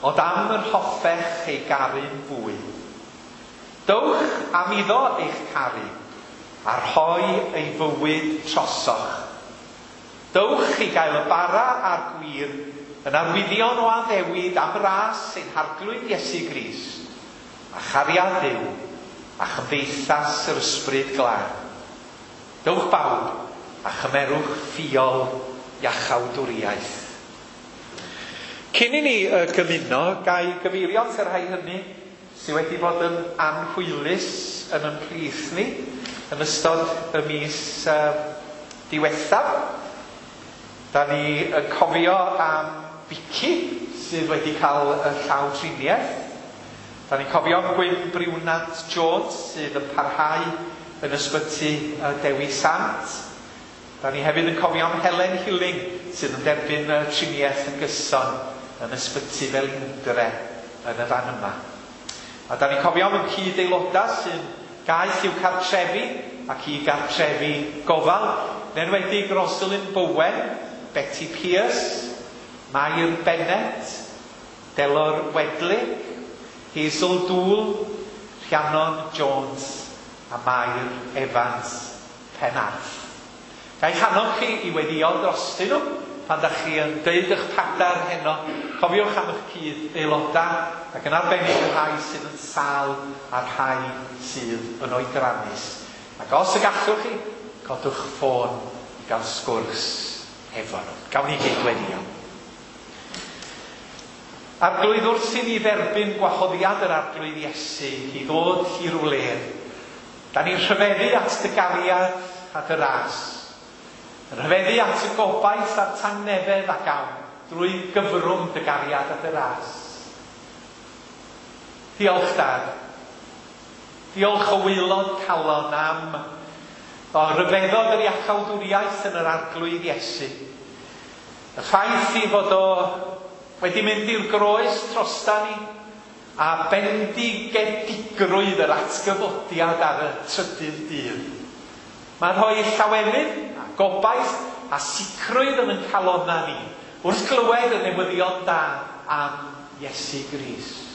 Speaker 2: ond am yr hoffech ei garu'n fwy. Dowch am iddo eich caru, a rhoi ei fywyd trosoch. Dowch i gael y bara a'r gwin yn arwyddion o addewid am ras ein Harglwydd Iesu Grist, a chariad Duw, a chymdeithas yr Ysbryd Glân. Dowch bawb, a chymerwch ffiol iachawdwriaeth. Cyn i ni gymuno, ga i gyfeirio at y rhai hynny sydd wedi bod yn anhwylus yn ein plith ni yn ystod y mis diwethaf. Da ni yn cofio am Vicky sydd wedi cael y llaw triniaeth. Da ni'n cofio am Gwyn Briwnant Jones sydd yn parhau yn ysbyty Dewi Sant. Da ni hefyd yn cofio am Helen Hilling sydd yn derbyn y triniaeth yn gyson yn ysbyty Felindre yn y fan yma. A da ni'n cofio am y cyd-aelodau sy'n gaeth i'w cartrefi ac i gartrefi gofal, yn enwedig Rosalind Bowen, Betty Pierce, Mair Bennett, Delor Wedley, Hazel Dool, Rhiannon Jones a Mair Evans Penarth. Ga i'ch annog chi i weddïo drostyn nhw pan da chi yn deud eich padar heno. Cofiwch am eich cyd aelodau ac yn arbennig y rhai sydd yn sâl a'r rhai sydd yn oedrannus. Ac os y gallwch chi, codwch ffôn i gael sgwrs efo nhw. Gawn ni gyd weddïo. Arglwydd, wrth i ni dderbyn gwahoddiad yr Arglwydd Iesu i ddod i rwle, da ni'n rhyfeddu at dy gariad a dy ras. Yn rhyfeddu at y gobaith a'r tangnefedd a gawn drwy gyfrwng dy gariad a dy ras. Diolch, Dad. Diolch o waelod calon am o ryfeddod yr iachawdwriaeth yn yr Arglwydd Iesu. Y ffaith i fod o wedi mynd i'r groes drosta ni a bendigedigrwydd yr atgyfodiad ar y trydydd dydd. Mae'n rhoi llawenydd a gobaith a sicrwydd yn ein calonnau ni wrth glywed y newyddion da am Iesu Grist.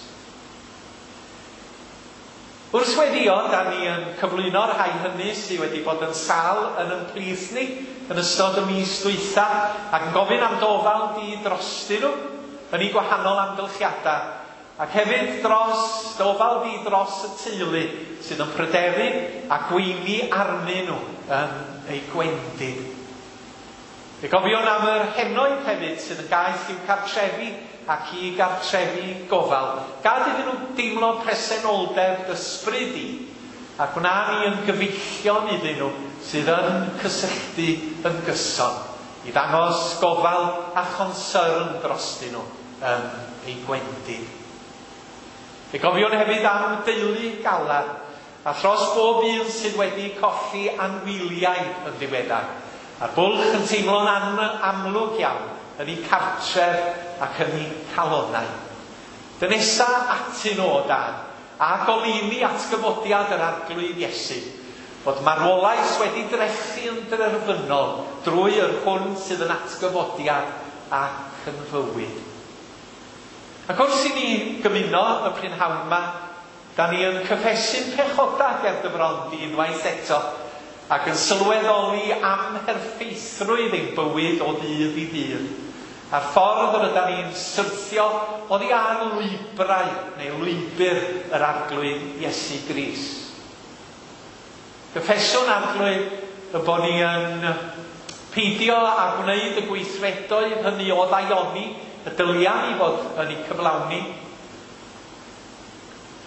Speaker 2: Wrth weddïo, da ni yn cyflwyno'r rhai hynny sydd wedi bod yn sâl yn ein plith ni yn ystod y mis dwytha ac yn gofyn am d'ofal di drostyn nhw yn eu gwahanol amgylchiadau, ac hefyd dros d'ofal di dros y teulu sydd yn pryderu a gweini arnyn nhw yn eu gwendid. Fe gofiwn am yr henoed hefyd sydd yn gaeth i'w cartrefi ac i gartrefi gofal. Gad iddyn nhw deimlo presenoldeb d'ysbryd di, a gwna ni yn gyfeillion iddyn nhw sydd yn cysylltu yn gyson, i ddangos gofal a chonsyrn drostyn nhw yn eu gwendid. Fe gofiwn hefyd am deulu Galar, a thros bob un sydd wedi colli anwyliaid yn ddiweddar, a'r bwlch yn teimlo'n amlwg iawn yn eu cartref ac yn eu calonnau. Dynesa atyn nhw, o Dad, a goleuni atgyfodiad yr Arglwydd Iesu, fod marwolaeth wedi drechu yn derfynol drwy yr hwn sydd yn atgyfodiad ac yn fywyd. Ac wrth i ni gymuno y prynhawn yma, da ni yn cyffesu'n pechodau ger dy fron di unwaith eto, ac yn sylweddoli amherffeithrwydd ein bywyd o ddydd i ddydd, a'r ffordd yr ydan ni'n syrthio oddi ar lwybrau neu lwybr yr Arglwydd Iesu Grist. Cyffeswn, Arglwydd, y bod ni yn peidio â gwneud y gweithredoedd hynny o ddaioni y dylia ni fod yn eu cyflawni.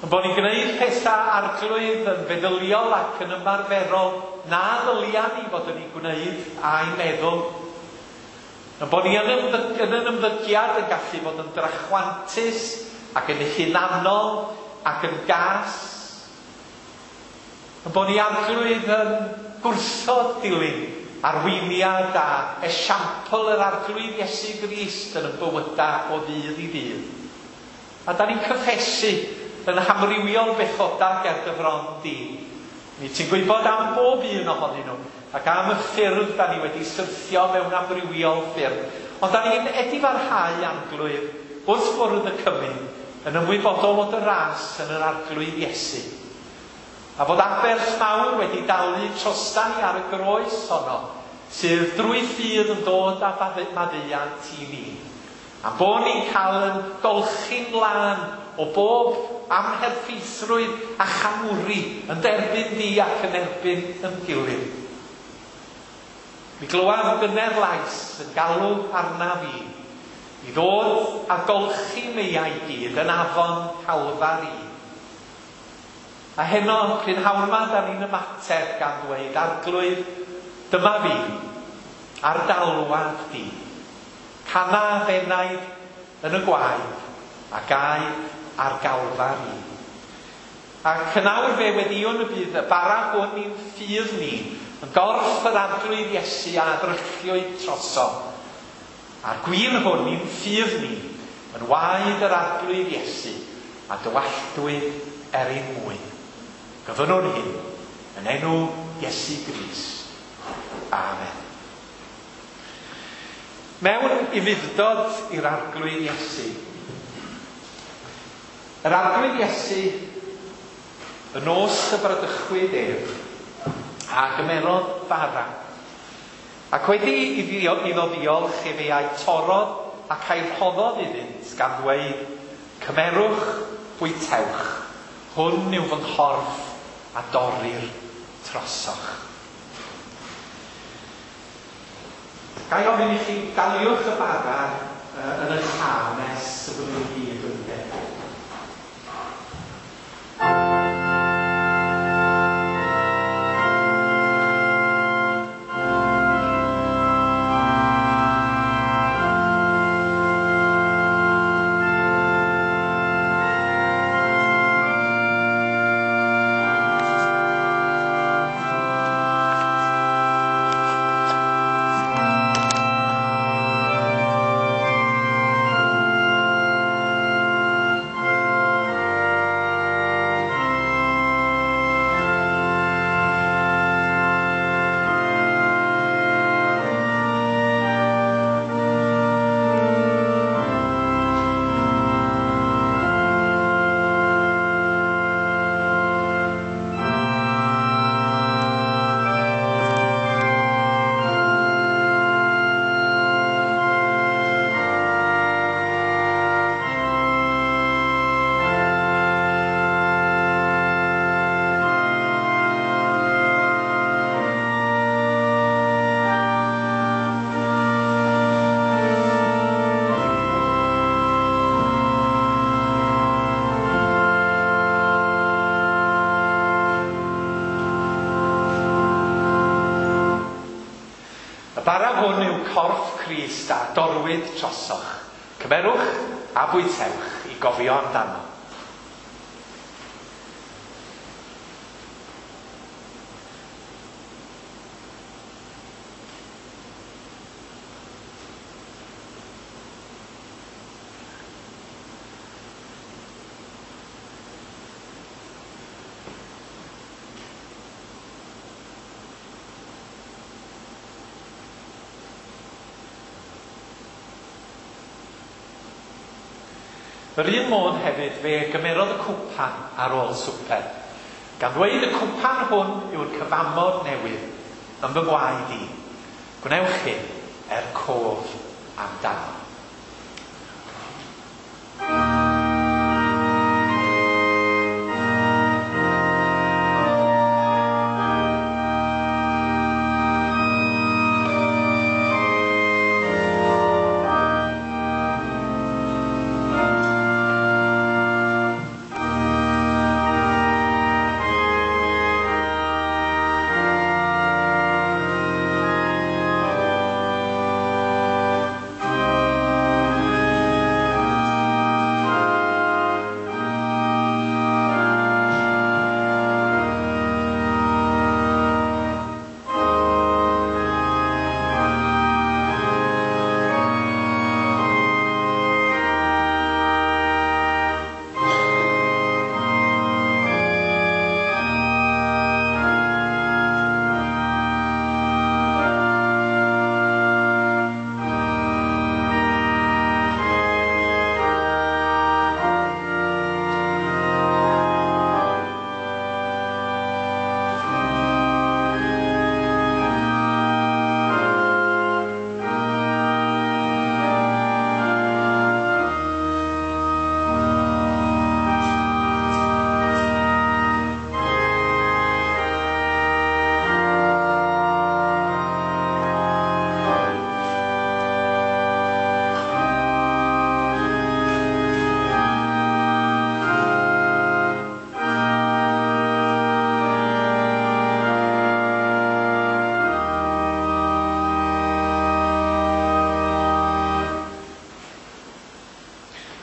Speaker 2: Yn bod ni'n gwneud pethau, Arglwydd, yn feddyliol ac yn ymarferol na ddylia ni fod yn eu gwneud a'i meddwl. Yn bod ni yn yn ymddygiad yn gallu bod yn drachwantus ac yn hunanol ac yn gas. Yn bod ni, Arglwydd, yn gwrthod dilyn arweiniad a esiampl yr Arglwydd Iesu Grist yn y bywydau o ddydd i ddydd. A da ni'n cyffesu yn hamrywiol bechodau ger dy fron di. Mi ti'n gwybod am bob un ohonyn nhw, ac am y ffyrdd da ni wedi syrthio mewn amrywiol ffyrdd. Ond da ni'n edifarhau, Arglwydd, wrth fwrdd y cymun, yn ymwybodol o dy ras yn yr Arglwydd Iesu. A fod aberth mawr wedi dalu trosta ni ar y groes honno, sydd drwy ffydd yn dod â maddeuant i ni. A bod ni'n cael yn golchi'n lân o bob amherffeithrwydd a chamwri yn derbyn di ac yn erbyn yn gilydd. Mi glywaf gynner lais yn galw arnaf i, i ddod a golchi meiau i gyd yn afon Calfari. A heno, prynhawn yma, da ni'n ymateb gan ddweud, Arglwydd, dyma fi, ar d'alwad di. Cana f'enaid yn y gwaed, a gaed ar Galfari. Ac yn awr fe weddïwn y bydd y bara hwn i'n ffydd ni, yn gorff yr Arglwydd Iesu a ddrylliwyd troso. A'r gwin hwn i'n ffydd ni, yn waed yr Arglwydd Iesu, a dywalltwyd er ein mwyn. Gofynnwn hyn yn enw Iesu Grist. Amen. Mewn ufudd-dod i'r Arglwydd Iesu. Yr Arglwydd Iesu, y nos y bradychwyd ef, a gymerodd bara. Ac wedi iddo ddiolch efe a'i torrodd ac a'i rhoddodd iddynt, gan ddweud, Cymerwch, bwytewch, hwn yw fy nghorff a dorrir trosoch. Ga i ofyn i chi, daliwch y bara yn eich llaw nes y byddwn i gyd wedi derbyn. Y bara hwn yw corff Crist a dorwyd trosoch. Cymerwch a bwytewch i gofio amdano. Yr un modd hefyd fe gymerodd y cwpan ar ôl swper, gan ddweud y cwpan hwn yw'r cyfamod newydd yn fy ngwaed i. Gwnewch hyn er cof amdano.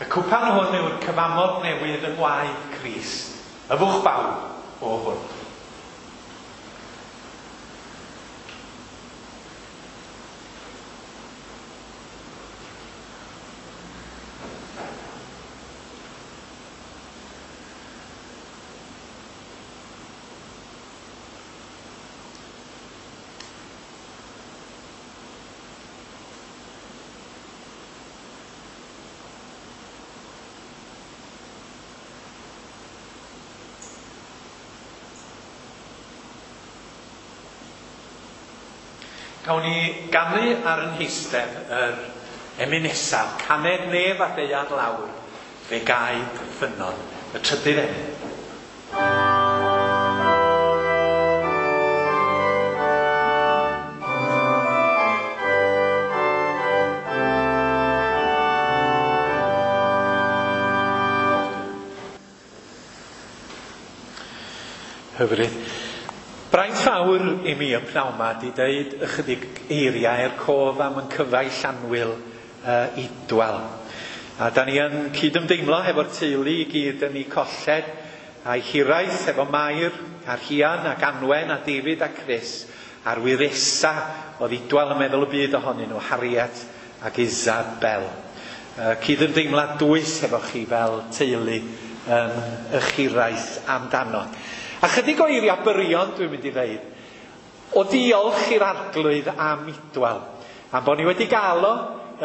Speaker 2: Y cwpan hwn yw'r cyfamod newydd yng ngwaed Crist, yfwch bawb o hwn. Cawn ni ganu ar yn heistedd yr emyn nesaf, caned nef a ddaear lawr, fe gaed ffynnon, y trydydd emyn. Hyfryd. Braint fawr i mi y pnawn 'ma 'di deud ychydig eiriau er cof am yn cyfaill annwyl Idwal. A da ni yn cydymdeimlo hefo'r teulu i gyd yn eu colled a'i hiraeth efo Mair a Rhian ac Anwen a David a Chris a'r wyresa oedd Idwal yn meddwl y byd ohonyn nhw, Harriet ac Isabel. Cydymdeimlad dwys hefo chi fel teulu yn eich hiraeth amdano. A chydig o eiriau byrion dwi'n mynd i ddeud. O diolch i'r Arglwydd am Idwal, am bod ni wedi gael o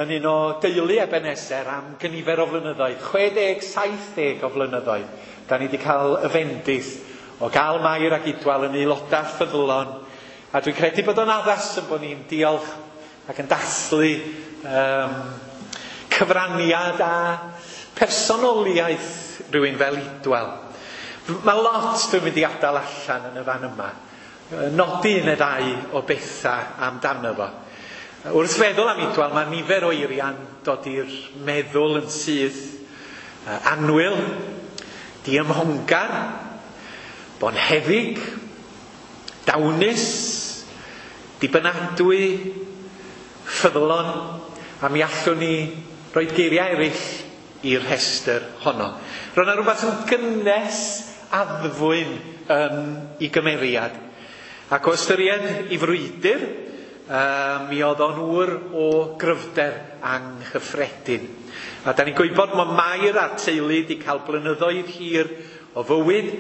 Speaker 2: yn un o deulu Ebenezer am gynifer o flynyddoedd, 60, 70 o flynyddoedd. Da ni wedi cael y fendith o gael Mair ac Idwal yn aelodau ffyddlon. A dwi'n credu bod o'n addas yn bod ni'n diolch ac yn dathlu cyfraniad a personoliaeth rhywun fel Idwal. Mae lot dwi'n mynd i adael allan yn y fan yma. Nodi un neu ddau o bethau amdano fo. Wrth feddwl am Idwal, mae nifer o eiriau'n dod i'r meddwl yn syth. Annwyl, diymhongar, bonheddig, dawnus, dibynadwy, ffyddlon, a mi allwn ni roi geiriau eraill i'r rhestr honno. Roedd yna rhywbeth yn gynnes addfwyn yn ei gymeriad. Ac o ystyried ei frwydr, mi oedd o'n ŵr o gryfder anghyffredin. A da ni'n gwybod mae Mair a'r teulu wedi cael blynyddoedd hir o fywyd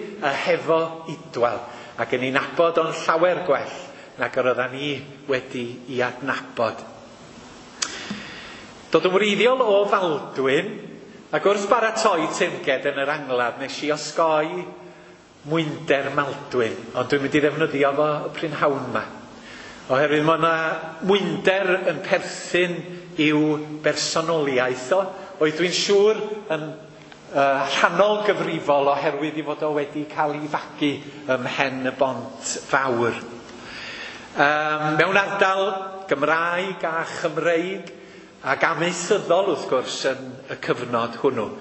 Speaker 2: hefo Idwal, ac yn ei nabod o'n llawer gwell nag yr oeddan ni wedi ei adnabod. Dod yn wreiddiol o Faldwyn, ac wrth baratoi teyrnged yn yr angladd, nes i osgoi mwynder Maldwyn, ond dwi'n mynd i ddefnyddio fo y prynhawn yma. Oherwydd mae yna mwynder yn perthyn i'w bersonoliaeth o, oedd dwi'n siŵr yn rhannol gyfrifol oherwydd i fod o wedi cael ei fagu ym Mhen y Bont Fawr. Mewn ardal Gymraeg a Chymreig ac amaethyddol wrth gwrs yn y cyfnod hwnnw.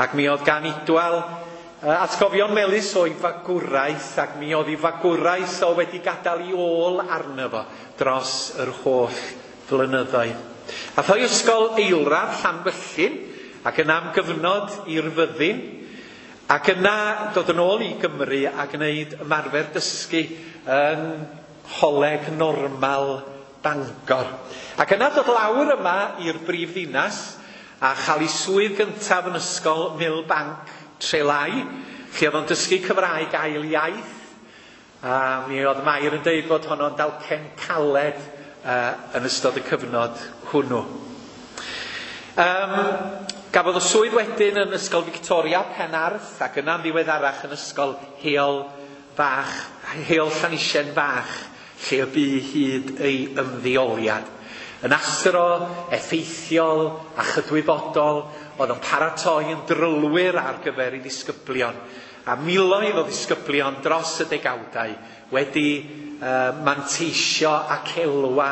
Speaker 2: Ac mi oedd gan Idwal atgofion melys o'i fagwraeth, ac mi oedd ei fagwraeth o wedi gadael ei ôl arno fo dros yr holl flynyddoedd. Ath o'i ysgol eilradd Llanfyllin, ac yna am gyfnod i'r fyddin, ac yna dod yn ôl i Gymru a gwneud ymarfer dysgu yn Choleg Normal Bangor. Ac yna dod lawr yma i'r brif ddinas a chael ei swydd gyntaf yn ysgol Millbank Trelai, lle oedd o'n dysgu Cymraeg ail iaith. A mi oedd Mair yn deud bod honno'n dalcen caled yn ystod y cyfnod hwnnw. Gafodd y swydd wedyn yn Ysgol Victoria Penarth, ac yna'n ddiweddarach yn Ysgol Heol Fach, Heol Llanisien Fach, lle y bu hyd ei ymddeoliad. Yn athro effeithiol a chydwybodol, oedd yn paratoi yn drylwyr ar gyfer ei ddisgyblion. A miloedd o ddisgyblion dros y degawdau wedi manteisio ac elwa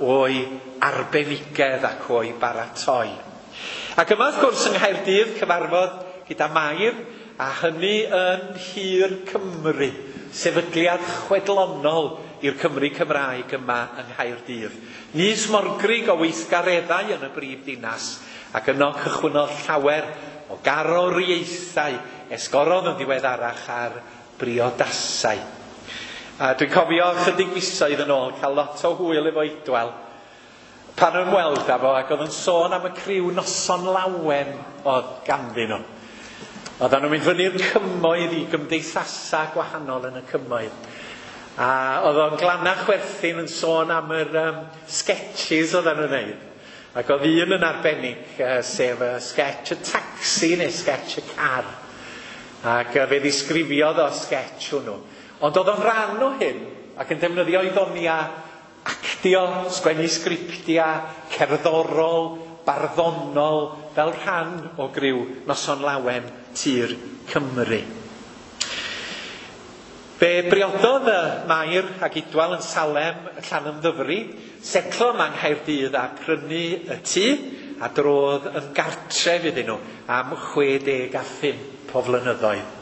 Speaker 2: o'i arbenigedd ac o'i baratoi. Ac yma wrth gwrs yng Nghaerdydd cyfarfod gyda Mair, a hynny yn Nhŷ'r Cymru, sefydliad chwedlonol i'r Cymry Cymraeg yma yng Nghaerdydd. Nys morgrig o weithgareddau yn y brif ddinas, ac yno cychwynnodd llawer o garoriaethau esgorodd yn ddiweddarach ar briodasau. A dwi'n cofio chydig misoedd yn ôl cael lot o hwyl efo Idwal pan ymweld â fo, ac oedd yn sôn am y criw noson lawen oedd ganddyn nhw. Oedden nhw'n mynd fyny'r cymoedd i gymdeithasau gwahanol yn y cymoedd. A oedd o'n glanach chwerthin yn sôn am yr sketches oedden nhw'n neud. Ac oedd un yn arbennig, sef y sketch y taxi neu sketch y car. Ac fe ddisgrifiodd o sketch hwnnw. Ond oedd o'n rhan o hyn, ac yn defnyddio ei ddonia actio, sgwennu sgriptia, cerddorol, barddonol, fel rhan o griw Noson Lawen Tir Cymru. Fe briododd y Mair ac Idwal yn Salem Llanymddyfri, setlo yma yng Nghaerdydd a prynu y tŷ, a drodd yn gartref iddyn nhw am 65 o flynyddoedd.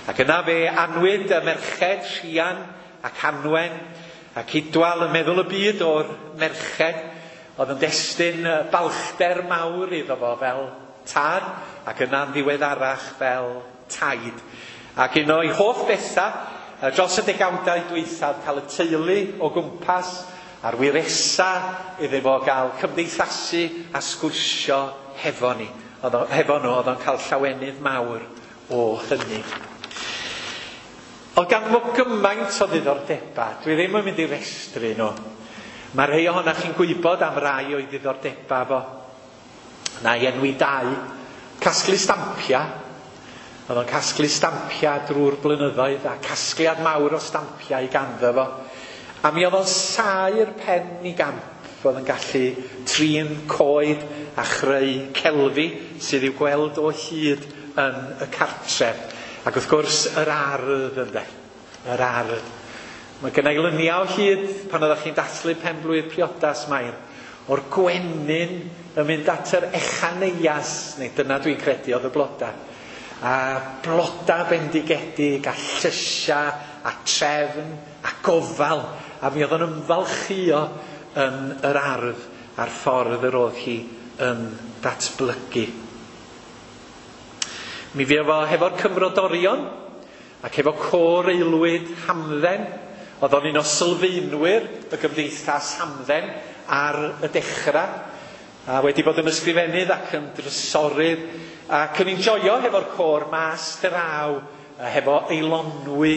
Speaker 2: Ac yna fe anwyd y merched Rhian ac Anwen ac Idwal yn meddwl y byd o'r merched oedd yn destun balchder mawr iddo fo fel tad ac yna'n ddiweddarach fel taid. Ac un o'i hoff bethau dros y degawdau dwythaf cael y teulu o gwmpas a'r wiresa iddo fo gael cymdeithasu a sgwrsio hefo ni. Hefo nhw, oedd o'n cael llawenydd mawr o hynny. Oedd ganddo fo gymaint o ddiddordebau, dwi ddim yn mynd i restru nhw. Mae rhai ohonoch chi'n gwybod am rai o'i ddiddordebau fo. Na i enwi dau. Casglu stampiau. Oedd o'n casglu stampiau drwy'r blynyddoedd a casgliad mawr o stampiau i ganddo fo. A mi oedd o'n saer pen i gamp. Oedd yn gallu trin coed a chreu celfi sydd i'w gweld o hyd yn y cartref. Ac wrth gwrs, yr ardd ynde. Yr ardd. Mae gen i luniau o hyd pan oeddech chi'n dathlu pen-blwydd priodas Mair, o'r gwenyn yn mynd at yr echaneias, neu dyna dwi'n credu oedd y bloda. A bloda bendigedig, a llysia, a trefn, a gofal. A mi oedd o'n ymfalchio yn yr ardd a'r ffordd yr oedd hi yn datblygu. Mi fuodd fo hefo'r Cymrodorion ac hefo côr aelwyd Hamdden. Oedd o'n un o sylfaenwyr y gymdeithas Hamdden ar y dechrau. A wedi bod yn ysgrifennydd ac yn drysorydd ac yn enjoio hefo'r côr mas draw hefo Eilonwy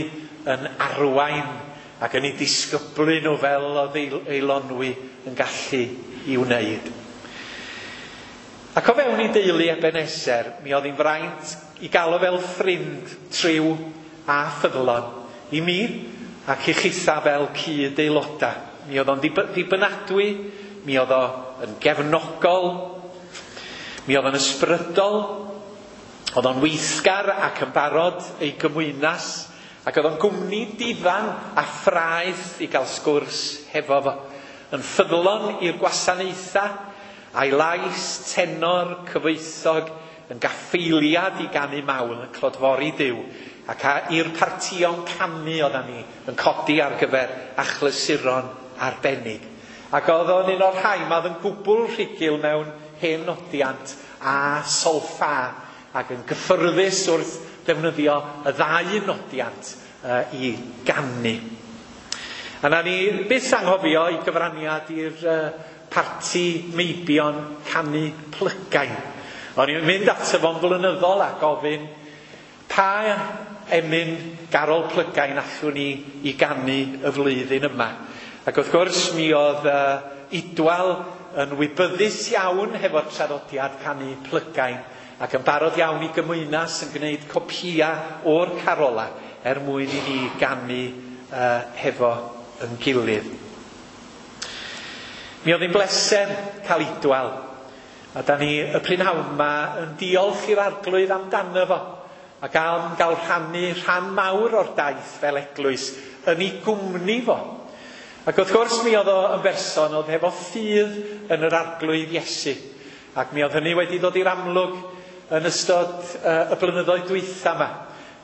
Speaker 2: yn arwain ac yn ei disgyblu nhw fel oedd Eilonwy yn gallu i wneud. Ac o fewn i deulu Ebenezer, mi oedd hi'n fraint i gael o fel ffrind triw a ffyddlon i mi ac i chitha fel cyd aelodau. Mi oedd o'n ddibynadwy, mi oedd o'n gefnogol, mi oedd o'n ysbrydol, oedd o'n weithgar ac yn barod ei gymwynas, ac oedd o'n gwmni difan a ffraeth i gael sgwrs hefo fo. Yn ffyddlon i'r gwasanaethau, a'i lais tenor cyfoethog yn gaffeiliad i ganu mawl yn clodfori Duw, ac i'r partïon canu oeddan ni yn codi ar gyfer achlysuron arbennig. Ac oedd o'n un o'r rhai ma oedd yn gwbl rhugl mewn hen nodiant a solffa ac yn gyffyrddus wrth ddefnyddio y ddau nodiant i ganu. A na ni byth anghofio i gyfraniad i'r parti meibion canu plygain. O'n i'n mynd ato fo'n flynyddol a gofyn pa emyn garol plygain allwn ni i ganu y flwyddyn yma. Ac wrth gwrs mi oedd Idwal yn wybyddus iawn hefo'r traddodiad canu plygain ac yn barod iawn i gymwynas yn gwneud copïa o'r carola er mwyn i ni ganu hefo yn gilydd. Mi oedd hi'n bleser cael Idwal, a da ni y prynhawn yma yn diolch i'r Arglwydd amdano fo, ac am gael rhannu rhan mawr o'r daith fel eglwys yn ei gwmni fo. Ac wrth gwrs mi oedd o yn berson oedd hefo ffydd yn yr Arglwydd Iesu, ac mi oedd hynny wedi dod i'r amlwg yn ystod y blynyddoedd dwytha yma.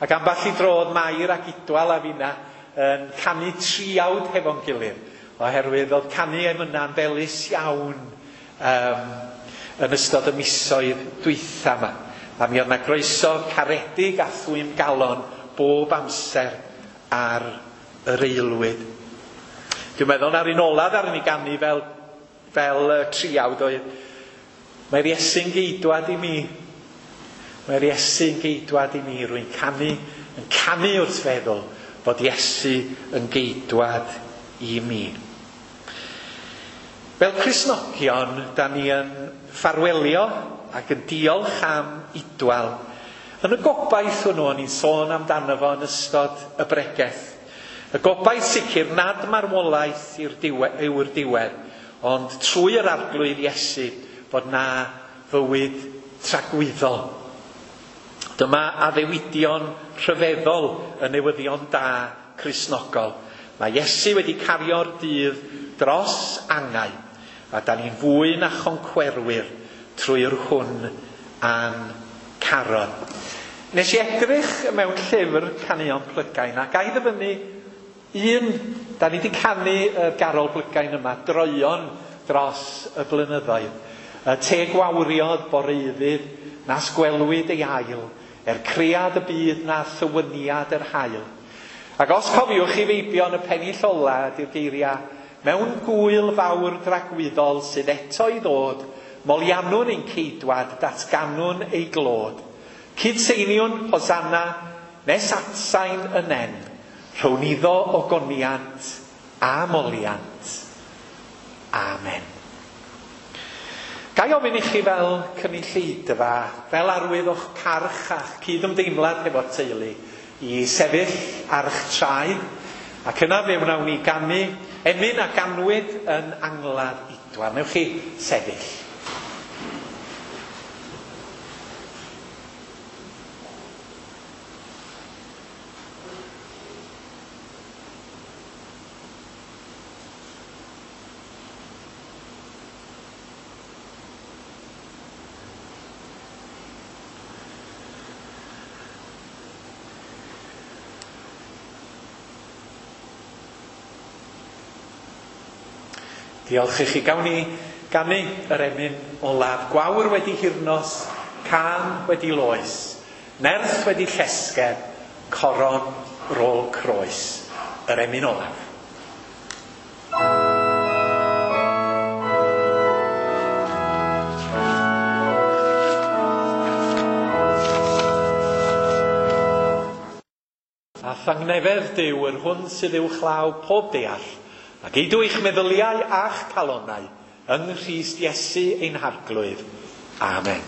Speaker 2: Ac ambell i dro oedd Mair ac Idwal a finna yn canu triawd hefo'n gilydd, oherwydd oedd canu emyna'n felys iawn yn ystod y misoedd dwytha yma. A mi oedd 'na groeso caredig a thwym galon bob amser ar yr aelwyd. Dwi'n meddwl na'r un olaf ar ni ganu fel triawd oedd Mae'r Iesu'n geidwad i mi. Mae'r Iesu'n geidwad i mi. Rwy'n canu, yn canu wrth feddwl bod Iesu yn geidwad i mi. Fel Cristnogion, da ni yn ffarwelio ac yn diolch am Idwal. Yn y gobaith hwnnw, o'n i'n sôn amdano fo yn ystod y bregeth. Y gobaith sicr nad marwolaeth yw'r diwedd, ond trwy yr Arglwydd Iesu bod na fywyd tragwyddol. Dyma addewidion rhyfeddol y newyddion da Cristnogol. Mae Iesu wedi cario'r dydd dros angau, a da ni'n fwy na choncwerwyr trwy'r hwn a'n carodd. Nes i edrych mewn llyfr Caneuon Plygain, a ga i ddyfynnu un, da ni wedi canu y garol Blygain yma, droeon dros y blynyddoedd. Y teg wawriodd boreuddydd, nas gwelwyd ei ail, er cread y byd na thywyniad yr haul. Ac os cofiwch chi feibion y pennill ola ydy'r geiriau, mewn gwyl fawr dragwyddol sydd eto i ddod, moliannwn ein ceidwad, datganwn ei glod. Cydseiniwn Hosanna, nes atsain y nen, rhown iddo ogoniant a moliant. Amen. Ga i ofyn i chi fel cynulleidfa, fel arwydd o'ch parch a'ch cydymdeimlad hefo'r teulu, i sefyll ar eich traed, ac yna fe wnawn ni ganu emyn a ganwyd yn angladd Idwal. Newch chi sefyll. Diolch i chi. Gawn ni ganu yr emyn olaf. Gwawr wedi hirnos, cân wedi loes, nerth wedi llesgedd, coron rôl croes. Yr emyn olaf. A thangnefedd Duw yr hwn sydd uwchlaw pob deall, ac eidw eich meddyliau a'ch calonnau yng Nghrist Iesu ein Harglwydd. Amen.